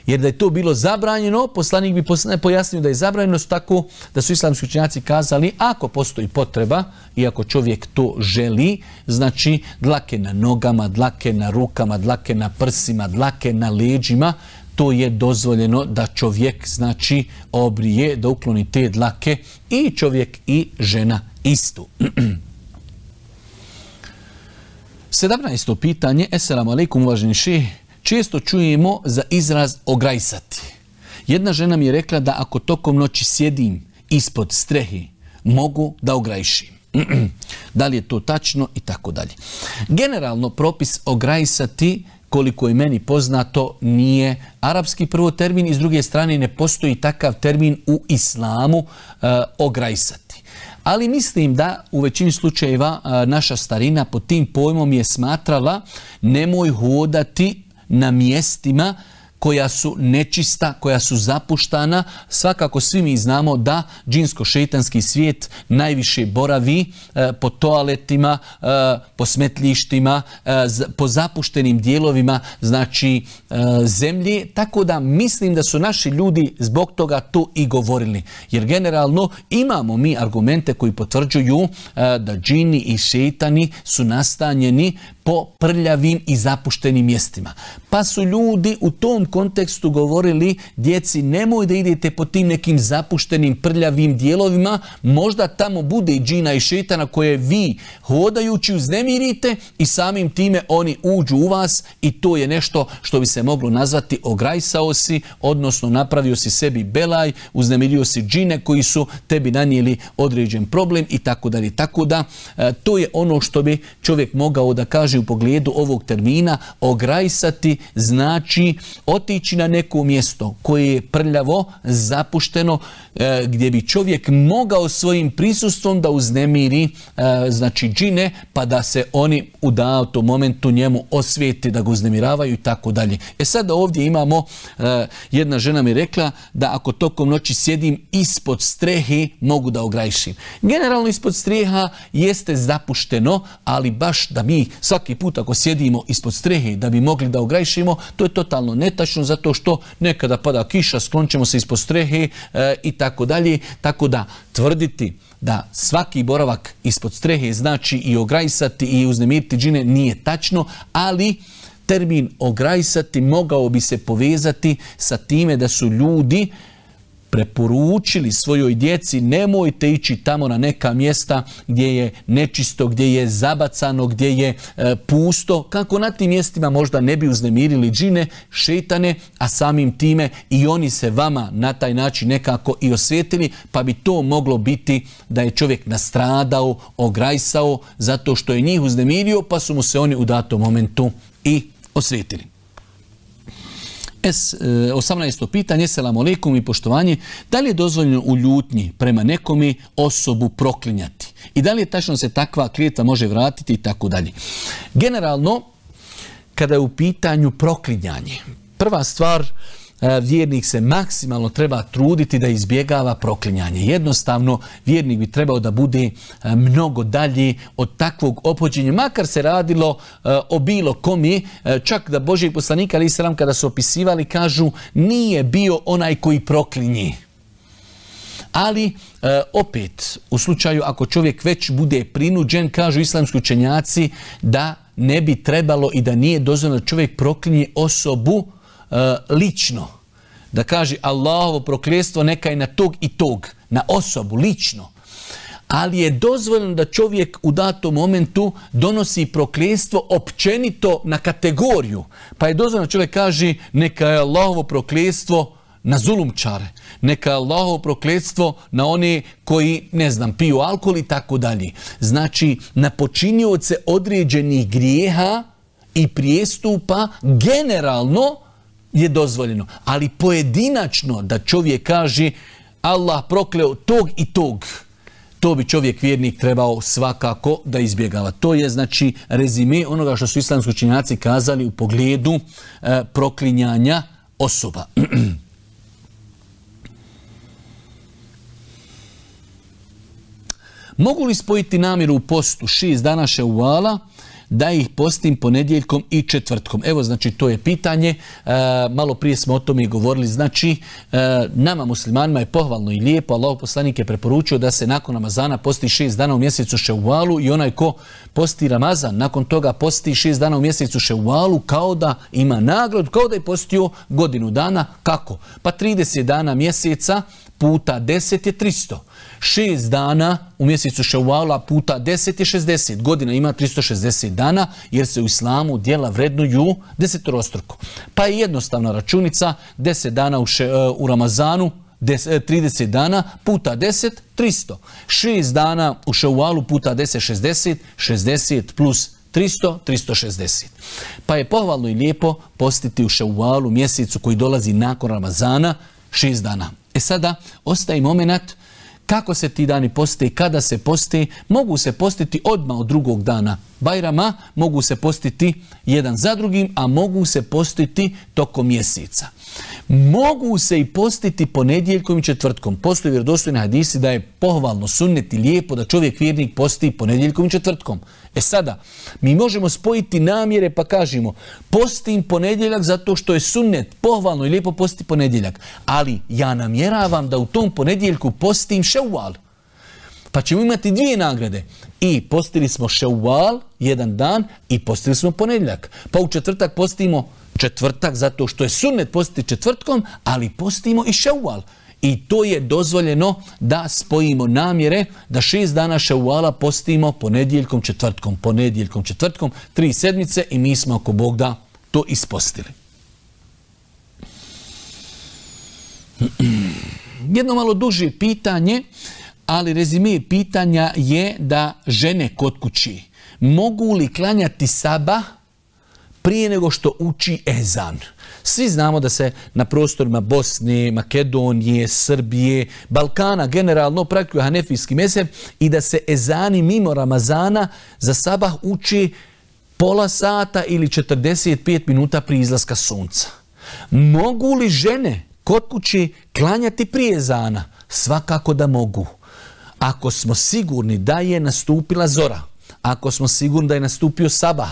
Jer da je to bilo zabranjeno, poslanik bi pojasnio da je zabranjeno, tako da su islamski učenjaci kazali, ako postoji potreba i ako čovjek to želi, znači dlake na nogama, dlake na rukama, dlake na prsima, dlake na leđima, to je dozvoljeno da čovjek znači obrije, da ukloni te dlake, i čovjek i žena istu. 17. pitanje. Esselamu alaikum, uvaženi šejh. Često čujemo za izraz ograjsati. Jedna žena mi je rekla da ako tokom noći sjedim ispod strehe, mogu da ograjšim. Da li je to tačno i tako dalje. Generalno, propis ograjsati, koliko je meni poznato, nije arapski prvo termin, i s druge strane ne postoji takav termin u islamu, ograjsati. Ali mislim da u većini slučajeva naša starina pod tim pojmom je smatrala nemoj hodati na mjestima koja su nečista, koja su zapuštana. Svakako svi mi znamo da džinsko-šejtanski svijet najviše boravi po toaletima, po smetlištima, po zapuštenim dijelovima, znači zemlje. Tako da mislim da su naši ljudi zbog toga to i govorili. Jer generalno imamo mi argumente koji potvrđuju da džini i šejtani su nastanjeni po prljavim i zapuštenim mjestima. Pa su ljudi u tom kontekstu govorili djeci nemoj da idete po tim nekim zapuštenim prljavim dijelovima, možda tamo bude i džina i šetana koje vi hodajući uznemirite i samim time oni uđu u vas i to je nešto što bi se moglo nazvati ograjsao si, odnosno napravio si sebi belaj, uznemirio si džine koji su tebi nanijeli određen problem i tako dalje. Tako da to je ono što bi čovjek mogao da kaže u pogledu ovog termina. Ograjsati znači otići na neko mjesto koje je prljavo, zapušteno, gdje bi čovjek mogao svojim prisustvom da uznemiri znači džine, pa da se oni u datom momentu njemu osvijeti da ga uznemiravaju i tako dalje. Sada ovdje imamo, jedna žena mi rekla da ako tokom noći sjedim ispod strehe mogu da ograjšim. Generalno ispod streha jeste zapušteno, ali baš da mi svaki put ako sjedimo ispod strehe da bi mogli da ograjšimo, to je totalno netačno zato što nekada pada kiša, sklončemo se ispod strehe i tako dalje. Tako da tvrditi da svaki boravak ispod strehe znači i ograjsati i uznemiriti džine nije tačno, ali termin ograjsati mogao bi se povezati sa time da su ljudi preporučili svojoj djeci nemojte ići tamo na neka mjesta gdje je nečisto, gdje je zabacano, gdje je pusto, kako na tim mjestima možda ne bi uznemirili džine, šetane, a samim time i oni se vama na taj način nekako i osvetili, pa bi to moglo biti da je čovjek nastradao, ograjsao, zato što je njih uznemirio, pa su mu se oni u datom momentu i osvetili. 18. pitanje, selamu alejkum i poštovanje, da li je dozvoljeno u ljutnji prema nekomi osobu proklinjati? I da li je tačno se takva klijetva može vratiti i tako dalje? Generalno, kada je u pitanju proklinjanje, prva stvar, vjernik se maksimalno treba truditi da izbjegava proklinjanje. Jednostavno, vjernik bi trebao da bude mnogo dalje od takvog ophođenja, makar se radilo o bilo komi, čak da Božji poslanik alejhi selam kada su opisivali kažu nije bio onaj koji proklinje. Ali opet, u slučaju ako čovjek već bude prinuđen, kažu islamski učenjaci da ne bi trebalo i da nije dozvoljeno da čovjek proklinje osobu lično. Da kaže Allahovo prokljetstvo neka je na tog i tog, na osobu, lično. Ali je dozvoljeno da čovjek u datom momentu donosi prokljetstvo općenito na kategoriju. Pa je dozvoljeno da čovjek kaže neka je Allahovo prokljetstvo na zulumčare, neka je Allahovo prokljetstvo na one koji, ne znam, piju alkohol i tako dalje. Znači, na počinioce određenih grijeha i prijestupa generalno je dozvoljeno. Ali pojedinačno da čovjek kaže Allah prokleo tog i tog, to bi čovjek vjernik trebao svakako da izbjegava. To je znači rezime onoga što su islamski učenjaci kazali u pogledu proklinjanja osoba. Mogu li spojiti namjeru u postu 6 dana ševala da ih postim ponedjeljkom i četvrtkom? Evo, znači, to je pitanje. Malo prije smo o tome i govorili. Znači, nama muslimanima je pohvalno i lijepo. Allahov poslanik je preporučio da se nakon Ramazana posti 6 dana u mjesecu ševalu i onaj ko posti Ramazan, nakon toga posti 6 dana u mjesecu ševalu kao da ima nagradu, kao da je postio godinu dana. Kako? Pa 30 dana mjeseca puta 10 je 300. 6 dana u mjesecu ševala puta 10 je 60. Godina ima 360 dana jer se u islamu djela vrednuju desetorostruko. Pa je jednostavna računica 10 dana u Ramazanu, 30 dana puta 10, 300. 6 dana u ševalu puta 10, 60. 60 plus 300, 360. Pa je pohvalno i lijepo postiti u ševalu mjesecu koji dolazi nakon Ramazana 6 dana. Sada ostaje moment kako se ti dani poste, kada se poste. Mogu se postiti odmah od drugog dana Bajrama, mogu se postiti jedan za drugim, a mogu se postiti tokom mjeseca. Mogu se i postiti ponedjeljkom i četvrtkom. Postoji vjerodostojni hadisi da je pohvalno, sunnet i lijepo da čovjek vjernik posti ponedjeljkom i četvrtkom. Sada, mi možemo spojiti namjere pa kažemo postim ponedjeljak zato što je sunnet, pohvalno i lijepo postiti ponedjeljak. Ali ja namjeravam da u tom ponedjeljku postim ševal. Pa ćemo imati 2 nagrade. I postili smo Ševal, 1 dan, i postili smo ponedjeljak. Pa u četvrtak postimo četvrtak, zato što je sunnet postiti četvrtkom, ali postimo i Ševal. I to je dozvoljeno da spojimo namjere, da 6 dana Ševala postimo ponedjeljkom, četvrtkom, 3 sedmice i mi smo ako Bog da to ispostili. Jedno malo duže pitanje, ali rezime pitanja je da žene kod kući mogu li klanjati sabah prije nego što uči ezan. Svi znamo da se na prostorima Bosne, Makedonije, Srbije, Balkana generalno praktikuje hanefijski mezheb i da se ezani mimo Ramazana za sabah uči pola sata ili 45 minuta prije izlaska sunca. Mogu li žene kod kući klanjati prije ezana? Svakako da mogu. Ako smo sigurni da je nastupila zora, ako smo sigurni da je nastupio sabah,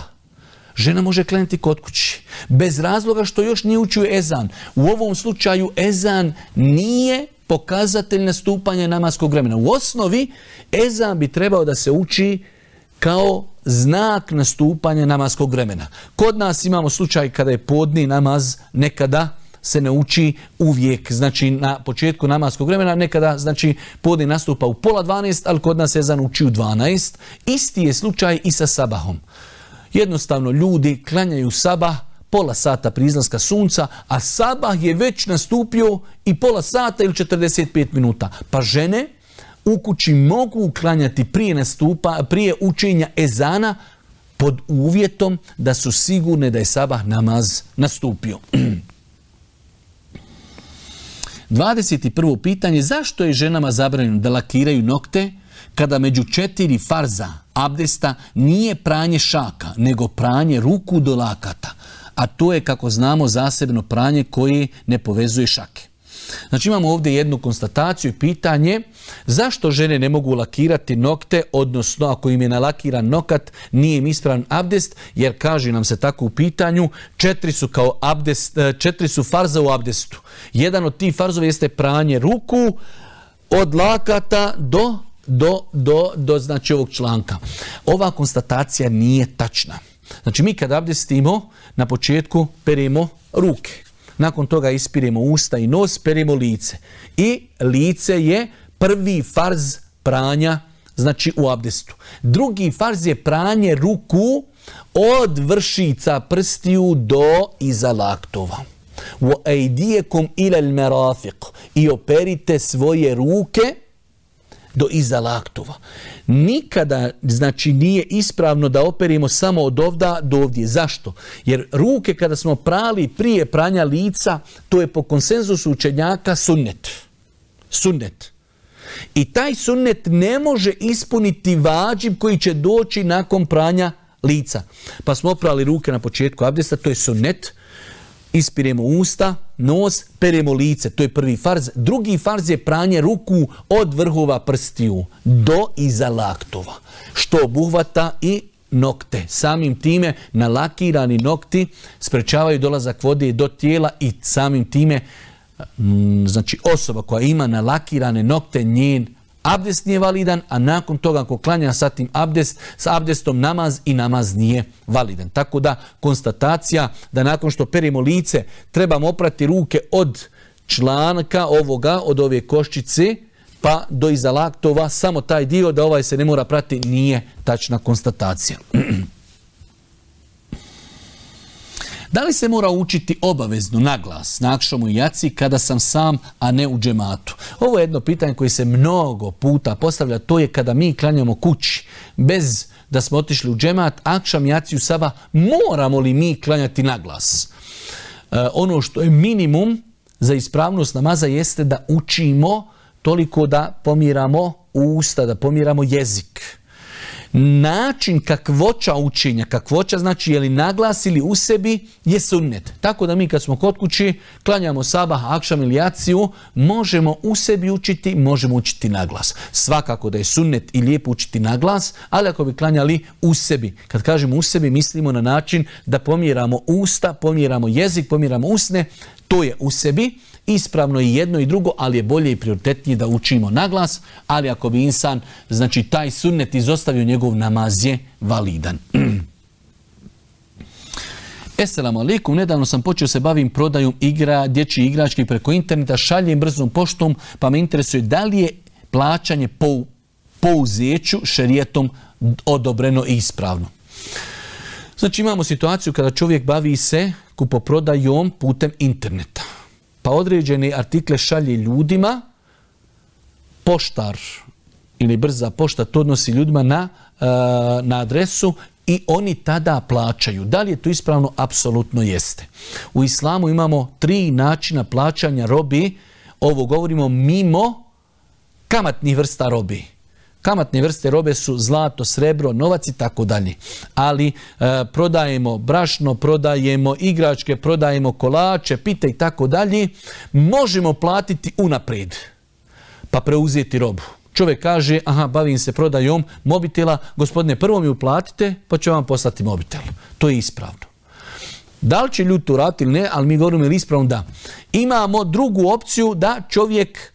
žena može klanjati kod kući. Bez razloga što još nije učio ezan. U ovom slučaju ezan nije pokazatelj nastupanja namaskog vremena. U osnovi ezan bi trebao da se uči kao znak nastupanja namaskog vremena. Kod nas imamo slučaj kada je podni namaz, nekada se ne uči uvijek, znači na početku namaskog vremena, nekada znači podni nastupa u 11:30, ali kod nas ezan uči u 12. Isti je slučaj i sa sabahom. Jednostavno ljudi klanjaju sabah pola sata prije izlaska sunca, a sabah je već nastupio i pola sata ili 45 minuta. Pa žene u kući mogu klanjati prije učenja ezana pod uvjetom da su sigurne da je sabah namaz nastupio. 21. pitanje, zašto je ženama zabranjeno da lakiraju nokte kada među 4 farza abdesta nije pranje šaka, nego pranje ruku do lakata, a to je, kako znamo, zasebno pranje koje ne povezuje šake. Znači imamo ovdje jednu konstataciju i pitanje, zašto žene ne mogu lakirati nokte, odnosno ako im je nalakiran nokat, nije im ispravan abdest, jer kaže nam se tako u pitanju, 4 su farza u abdestu. Jedan od tih farzova jeste pranje ruku od lakata do znači ovog članka. Ova konstatacija nije tačna. Znači mi kad abdestimo, na početku peremo ruke. Nakon toga ispiremo usta i nos, peremo lice. I lice je prvi farz pranja, znači u abdestu. Drugi farz je pranje ruku od vršica prstiju do iza laktova. وَأَيْدِيَكُمْ إِلَى الْمَرَافِقِ I operite svoje ruke do iza laktova. Nikada, znači, nije ispravno da operimo samo od ovda do ovdje. Zašto? Jer ruke kada smo prali prije pranja lica, to je po konsenzusu učenjaka sunnet. Sunnet. I taj sunnet ne može ispuniti vađib koji će doći nakon pranja lica. Pa smo oprali ruke na početku abdesta, to je sunnet. Ispiremo usta, nos, peremo lice, to je prvi farz. Drugi farz je pranje ruku od vrhova prstiju do iza laktova, što obuhvata i nokte. Samim time nalakirani nokti sprečavaju dolazak vode do tijela i samim time, znači osoba koja ima nalakirane nokte, njen abdest nije validan, a nakon toga ako klanja sa abdestom namaz i namaz nije validan. Tako da konstatacija da nakon što perimo lice trebamo oprati ruke od članka ovoga, od ove koščice pa do iza laktova, samo taj dio da ovaj se ne mora prati, nije tačna konstatacija. Da li se mora učiti obavezno na glas na akšamu i jaci kada sam sam, a ne u džematu? Ovo je jedno pitanje koje se mnogo puta postavlja, to je kada mi klanjamo kući, bez da smo otišli u džemat, akšam, jaciju, sabah, moramo li mi klanjati na glas? Ono što je minimum za ispravnost namaza jeste da učimo toliko da pomiramo usta, da pomiramo jezik. Način kakvoća učenja, kakvoća znači je li naglas ili u sebi, je sunnet. Tako da mi kad smo kod kući, klanjamo sabah, akšam ili jaciju, možemo u sebi učiti, možemo učiti naglas. Svakako da je sunnet i lijepo učiti naglas, ali ako bi klanjali u sebi. Kad kažemo u sebi, mislimo na način da pomjeramo usta, pomjeramo jezik, pomjeramo usne, To je u sebi, ispravno i jedno i drugo, ali je bolje i prioritetnije da učimo na glas, ali ako bi insan, znači taj sunnet izostavio, njegov namaz je validan. Esselamu alaikum, nedavno sam počeo se bavim prodajom dječjih igrački preko interneta, šaljem brzom poštom, pa me interesuje da li je plaćanje po uzeću šerijetom odobreno i ispravno. Znači imamo situaciju kada čovjek bavi se kupoprodajom putem interneta. Pa određene artikle šalje ljudima, poštar ili brza pošta to odnosi ljudima na adresu i oni tada plaćaju. Da li je to ispravno? Apsolutno jeste. U islamu imamo 3 načina plaćanja robi. Ovo govorimo mimo kamatnih vrsta robi. Kamatne vrste robe su zlato, srebro, novac i tako dalje. Ali prodajemo brašno, prodajemo igračke, prodajemo kolače, pite i tako dalje. Možemo platiti unaprijed pa preuzeti robu. Čovjek kaže, bavim se prodajom mobitela, gospodine, prvo mi uplatite pa ću vam poslati mobitel. To je ispravno. Da li će ljudi to raditi ili ne, ali mi govorimo ili ispravno da. Imamo drugu opciju da čovjek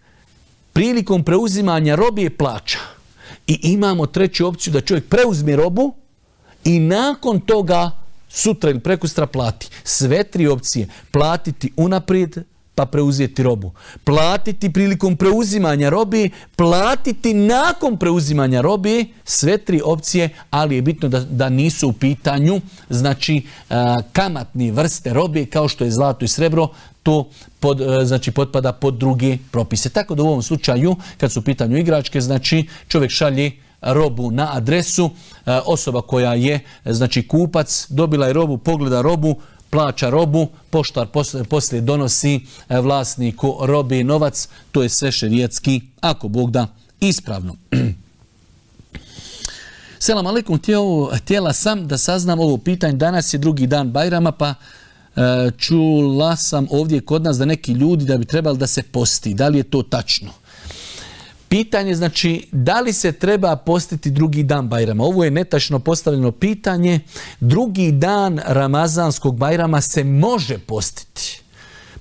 prilikom preuzimanja robe plaća. I imamo treću opciju da čovjek preuzme robu i nakon toga sutra ili prekustra plati. Sve 3 opcije. Platiti unaprijed pa preuzeti robu. Platiti prilikom preuzimanja robe, platiti nakon preuzimanja robe, sve 3 opcije, ali je bitno da nisu u pitanju, znači kamatne vrste robe kao što je zlato i srebro, to potpada pod druge propise. Tako da u ovom slučaju, kad su u pitanju igračke, znači čovjek šalje robu na adresu, osoba koja je znači kupac, dobila je robu, pogleda robu, plaća robu, poštar poslije donosi vlasniku robe novac, to je sve šerijatski, ako Bog da, ispravno. Selam alaikum, htjela sam da saznam ovo pitanje, danas je drugi dan Bajrama, pa čula sam ovdje kod nas da neki ljudi da bi trebali da se posti. Da li je to tačno? Pitanje znači da li se treba postiti drugi dan Bajrama. Ovo je netačno postavljeno pitanje. Drugi dan Ramazanskog Bajrama se može postiti.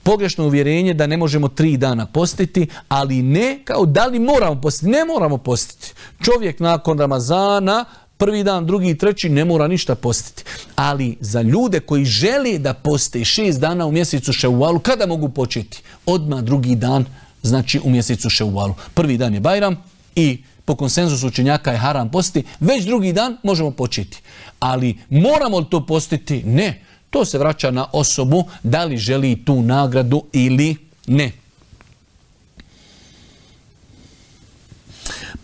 Pogrešno uvjerenje da ne možemo 3 dana postiti, ali ne kao da li moramo postiti. Ne moramo postiti. Čovjek nakon Ramazana, prvi dan, drugi, treći, ne mora ništa postiti. Ali za ljude koji žele da poste 6 dana u mjesecu Ševalu, kada mogu početi? Odmah drugi dan, znači u mjesecu Ševalu. Prvi dan je Bajram i po konsenzusu učenjaka je haram postiti. Već drugi dan možemo početi. Ali moramo li to postiti? Ne. To se vraća na osobu da li želi tu nagradu ili ne.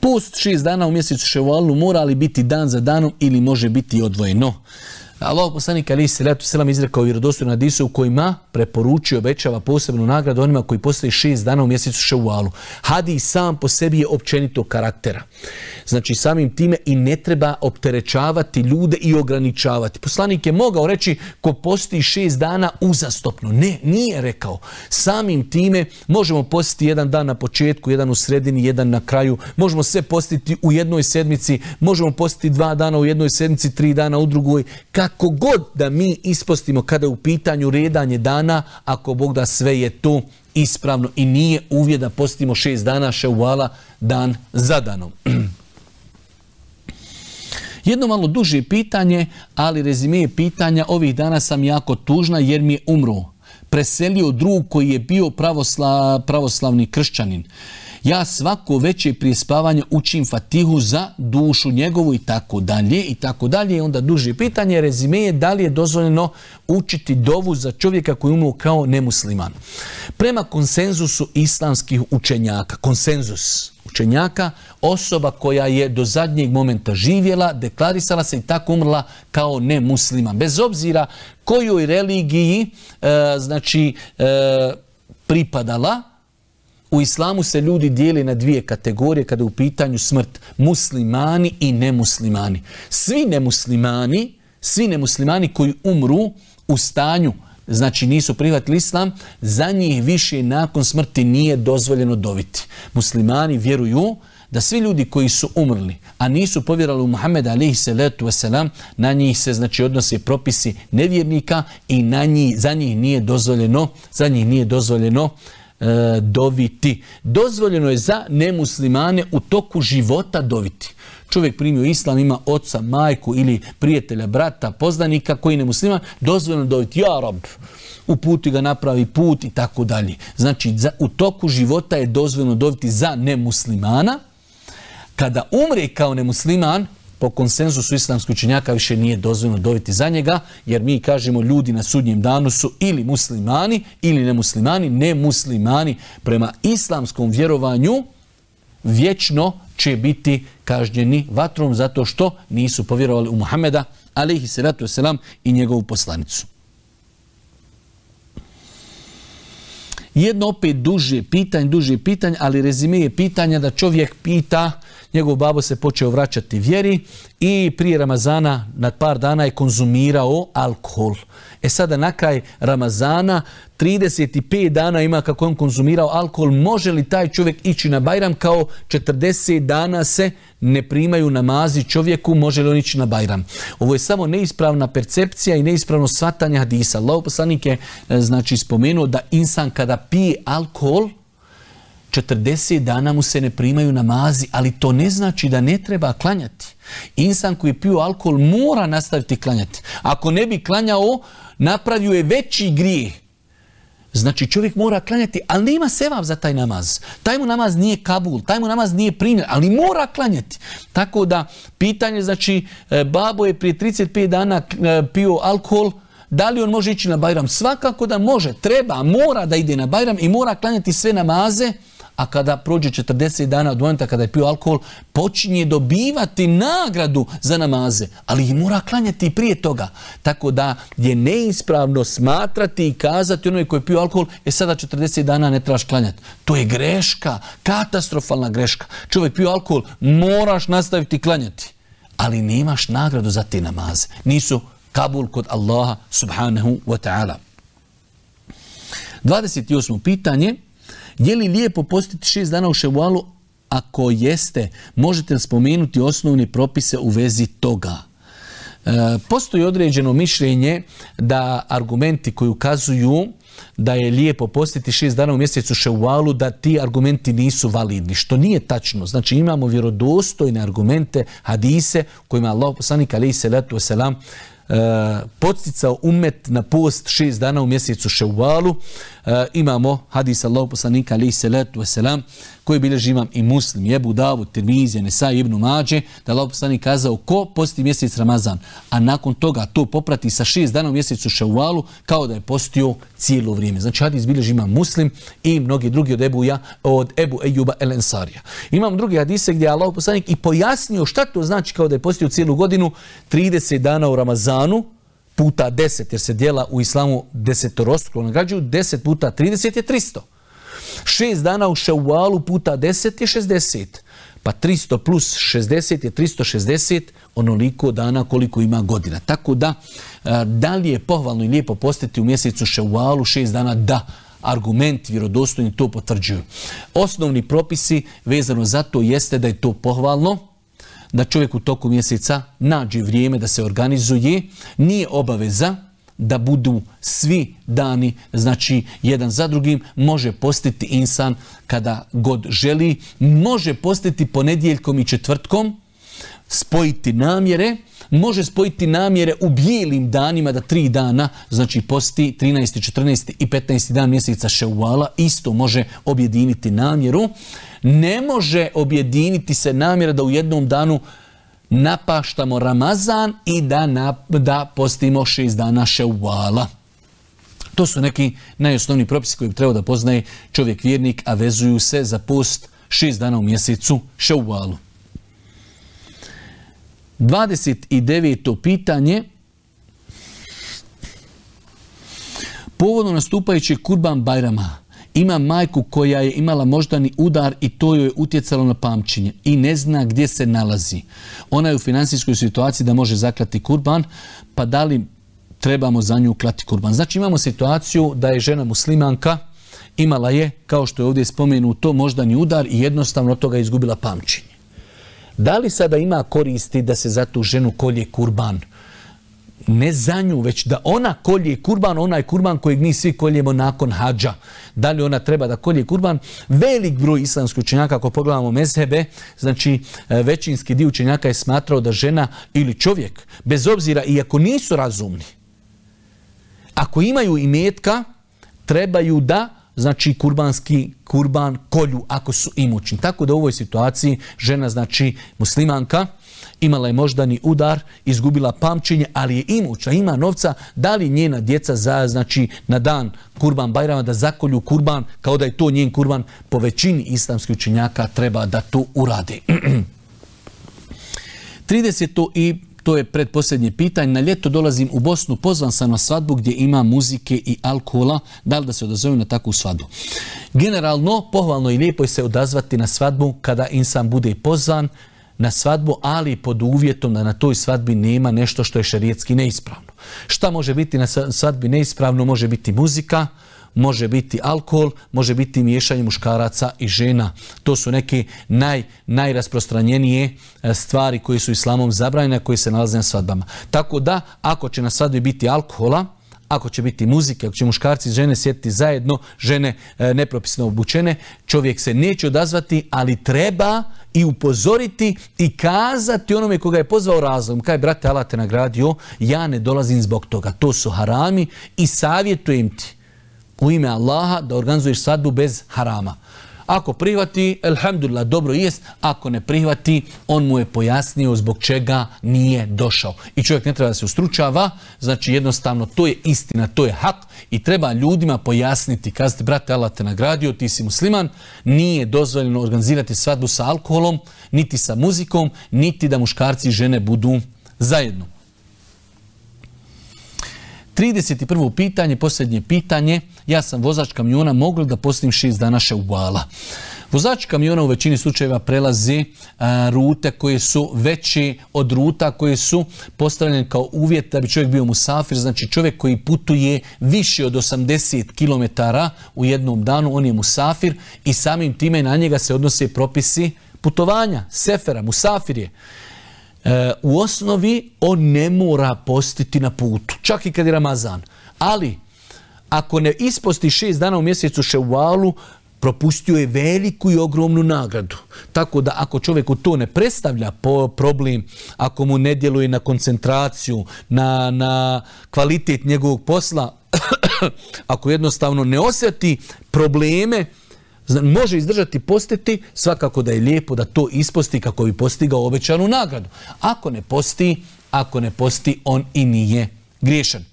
Post 6 dana u mjesecu Ševalu mora li biti dan za danom ili može biti odvojeno? Allah poslanik alejhi selatu selam izrekao vjerodostojno hadisu u kojima preporučuje, obećava posebnu nagradu onima koji postoje 6 dana u mjesecu Ševalu. Hadis sam po sebi je općenitog karaktera. Znači samim time i ne treba opterećavati ljude i ograničavati. Poslanik je mogao reći ko posti 6 dana uzastopno. Ne, nije rekao. Samim time možemo postiti jedan dan na početku, jedan u sredini, jedan na kraju. Možemo sve postiti u jednoj sedmici, možemo postiti 2 dana u jednoj sedmici, 3 dana u drugoj. Kako god da mi ispostimo kada je u pitanju redanje dana, ako Bog da, sve je to ispravno i nije uvjet da postimo 6 dana Ševala dan za danom. Jedno malo duže pitanje, ali rezime pitanja, ovih dana sam jako tužna jer mi je umro. Preselio drug koji je bio pravoslavni kršćanin. Ja svako veće prije spavanja učim Fatihu za dušu njegovu i tako dalje i tako dalje. Onda duže pitanje, rezime je da li je dozvoljeno učiti dovu za čovjeka koji je umro kao nemusliman. Prema konsenzusu islamskih učenjaka, konsenzus učenjaka, osoba koja je do zadnjeg momenta živjela, deklarisala se i tako umrla kao nemusliman. Bez obzira kojoj religiji pripadala, u islamu se ljudi dijeli na 2 kategorije kada je u pitanju smrt. Muslimani i nemuslimani. Svi nemuslimani koji umru u stanju, znači nisu prihvatili islam, za njih više nakon smrti nije dozvoljeno doviti. Muslimani vjeruju da svi ljudi koji su umrli, a nisu povjerovali u Muhammeda alejhi salatu vesselam, na njih se znači odnose propisi nevjernika i za njih nije dozvoljeno doviti. Dozvoljeno je za nemuslimane u toku života doviti. Čovjek primio islam, ima oca, majku ili prijatelja, brata, poznanika koji je nemusliman, dozvoljeno doviti, ja Rab, uputi ga, napravi put i tako dalje. Znači, u toku života je dozvoljeno doviti za nemuslimana. Kada umre kao nemusliman, po konsenzusu islamskih učenjaka više nije dozvoljeno doviti za njega, jer mi kažemo ljudi na sudnjem danu su ili muslimani ili nemuslimani. Nemuslimani prema islamskom vjerovanju vječno će biti kažnjeni vatrom zato što nisu povjerovali u Muhammeda alejhi salatu vesselam i njegovu poslanicu. Jedno opet duže pitanje, ali rezime je pitanja da čovjek pita, njegov babo se počeo vraćati vjeri i prije Ramazana nad par dana je konzumirao alkohol. Sada na kraj Ramazana 35 dana ima kako on konzumirao alkohol. Može li taj čovjek ići na Bajram kao 40 dana se ne primaju namazi čovjeku, može li on ići na Bajram? Ovo je samo neispravna percepcija i neispravno shvatanje hadisa. Allahov poslanik je znači spomenuo da insan kada pije alkohol 40 dana mu se ne primaju namazi, ali to ne znači da ne treba klanjati. Insan koji pije alkohol mora nastaviti klanjati. Ako ne bi klanjao, napravio je veći grijeh. Znači čovjek mora klanjati, ali nema sevap za taj namaz. Taj mu namaz nije kabul, taj mu namaz nije primjer, ali mora klanjati. Tako da pitanje, znači babo je prije 35 dana pio alkohol, da li on može ići na Bajram? Svakako da može, treba, mora da ide na Bajram i mora klanjati sve namaze, a kada prođe 40 dana od momenta kada je pio alkohol, počinje dobivati nagradu za namaze, ali ih mora klanjati i prije toga. Tako da je neispravno smatrati i kazati onoj koji je pio alkohol, sada 40 dana ne trebaš klanjati. To je greška, katastrofalna greška. Čovjek pio alkohol, moraš nastaviti klanjati, ali nemaš nagradu za te namaze. Nisu kabul kod Allaha subhanahu wa ta'ala. 28. pitanje. Je li lijepo postiti 6 dana u Ševalu? Ako jeste, možete li spomenuti osnovne propise u vezi toga? Postoji određeno mišljenje da argumenti koji ukazuju da je lijepo postiti 6 dana u mjesecu Ševalu, da ti argumenti nisu validni, što nije tačno. Znači imamo vjerodostojne argumente, hadise, kojima Allah poslanik alejhi salatu vesselam podsticao umet na post 6 dana u mjesecu Ševalu. Imamo hadis Allahov poslanika alejhi salatu vesselam koji bilježi imam i Muslim, Ebu Davud, Tirmizija, Nesai, Ibn Mađe, da Allahov poslanik kazao ko posti mjesec Ramazan, a nakon toga to poprati sa 6 dana u mjesecu Ševalu kao da je postio cijelo vrijeme. Znači hadis bilježi imam Muslim i mnogi drugi od Ebu Ejuba el Ensarija. Imam drugi hadise gdje je Allahov poslanik i pojasnio šta to znači kao da je postio cijelu godinu, 30 dana u Ramazanu puta 10, jer se dijela u islamu desetorostruko nagrađuju, 10 puta 30 je 300. 6 dana u Ševalu puta 10 je 60. Pa 300 plus 60 je 360, onoliko dana koliko ima godina. Tako da li je pohvalno i lijepo postiti u mjesecu Ševalu 6 dana? Da. Argument vjerodostojni to potvrđuju. Osnovni propisi vezano za to jeste da je to pohvalno, da čovjek u toku mjeseca nađe vrijeme da se organizuje, nije obaveza da budu svi dani, znači jedan za drugim, može postiti insan kada god želi, može postiti ponedjeljkom i četvrtkom, spojiti namjere, može spojiti namjere u bijelim danima da 3 dana, znači posti 13. 14. i 15. dan mjeseca Ševala, isto može objediniti namjeru. Ne može objediniti se namjera da u jednom danu napaštamo Ramazan i da postimo 6 dana Ševala. To su neki najosnovniji propisi koji bi trebao da poznaje čovjek vjernik, a vezuju se za post 6 dana u mjesecu Ševalu. 29. pitanje. Povodom nastupajućeg Kurban Bajrama ima majku koja je imala moždani udar i to joj je utjecalo na pamćenje i ne zna gdje se nalazi. Ona je u financijskoj situaciji da može zaklati kurban, pa da li trebamo za nju klati kurban? Znači imamo situaciju da je žena muslimanka imala je, kao što je ovdje spomenuto, moždani udar i jednostavno od toga izgubila pamćenje. Da li sada ima koristi da se za tu ženu kolje kurban? Ne za nju, već da ona kolje kurban, onaj kurban kojeg mi svi koljemo nakon hadža. Da li ona treba da kolje kurban? Velik broj islamskih učenjaka, ako pogledamo mezhebe, znači većinski dio učenjaka je smatrao da žena ili čovjek, bez obzira i ako nisu razumni, ako imaju imetka, trebaju da znači kurban kolju ako su imućni. Tako da u ovoj situaciji žena, znači muslimanka, imala je moždani udar, izgubila pamćenje, ali je imućna, ima novca, da li njena djeca znači na dan kurban bajrama da zakolju kurban kao da je to njen kurban, po većini islamskih učenjaka treba da to urade. 30. i to je predposljednje pitanje. Na ljeto dolazim u Bosnu, pozvan sam na svadbu gdje ima muzike i alkohola. Da li da se odazovem na takvu svadbu? Generalno, pohvalno i lijepo je se odazvati na svadbu kada insan bude pozvan na svadbu, ali pod uvjetom da na toj svadbi nema nešto što je šerijetski neispravno. Šta može biti na svadbi neispravno? Može biti muzika, može biti alkohol, može biti miješanje muškaraca i žena. To su neke najrasprostranjenije stvari koje su islamom zabranjene, koje se nalaze na svadbama. Tako da, ako će na svadbi biti alkohola, ako će biti muzike, ako će muškarci i žene sjediti zajedno, žene nepropisno obučene, čovjek se neće odazvati, ali treba i upozoriti i kazati onome koga je pozvao razlogom. Kaj, brate, Allah te nagradio, ja ne dolazim zbog toga. To su harami i savjetujem ti u ime Allaha da organizuješ svadbu bez harama. Ako prihvati, elhamdulillah, dobro jest. Ako ne prihvati, on mu je pojasnio zbog čega nije došao. I čovjek ne treba da se ustručava, znači jednostavno to je istina, to je hak i treba ljudima pojasniti. Kazati, brate, Allah te nagradio, ti si musliman, nije dozvoljeno organizirati svadbu sa alkoholom, niti sa muzikom, niti da muškarci i žene budu zajedno. 31. pitanje, posljednje pitanje. Ja sam vozač kamiona, mogu li da postim 6 dana ševvala? Vozač kamiona u većini slučajeva prelazi rute koje su veće od ruta koje su postavljene kao uvjet da bi čovjek bio musafir. Znači čovjek koji putuje više od 80 km u jednom danu, on je musafir i samim time na njega se odnose propisi putovanja, sefera, musafir je. U osnovi on ne mora postiti na putu, čak i kad je Ramazan. Ali, ako ne isposti 6 dana u mjesecu ševalu, propustio je veliku i ogromnu nagradu. Tako da ako čovjeku to ne predstavlja problem, ako mu ne djeluje na koncentraciju, na kvalitet njegovog posla, ako jednostavno ne osjeti probleme, može izdržati postiti, svakako da je lijepo da to isposti kako bi postigao obećanu nagradu. Ako ne posti, on i nije griješan.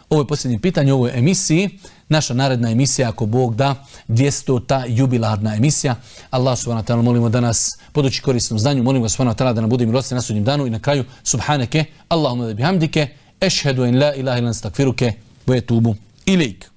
Ovo je posljednje pitanje u ovoj emisiji. Naša naredna emisija, ako Bog da, 200. jubilarna emisija. Allah subhanahu wa ta'ala molimo da nas poduči korisnom znanju. Molimo subhanahu wa ta'ala da nam bude milostiv na sudnjem danu. I na kraju, subhaneke, Allahumma da bihamdike, ešhedu en la ilaha ilan stakfiruke, ve etubu ilejk.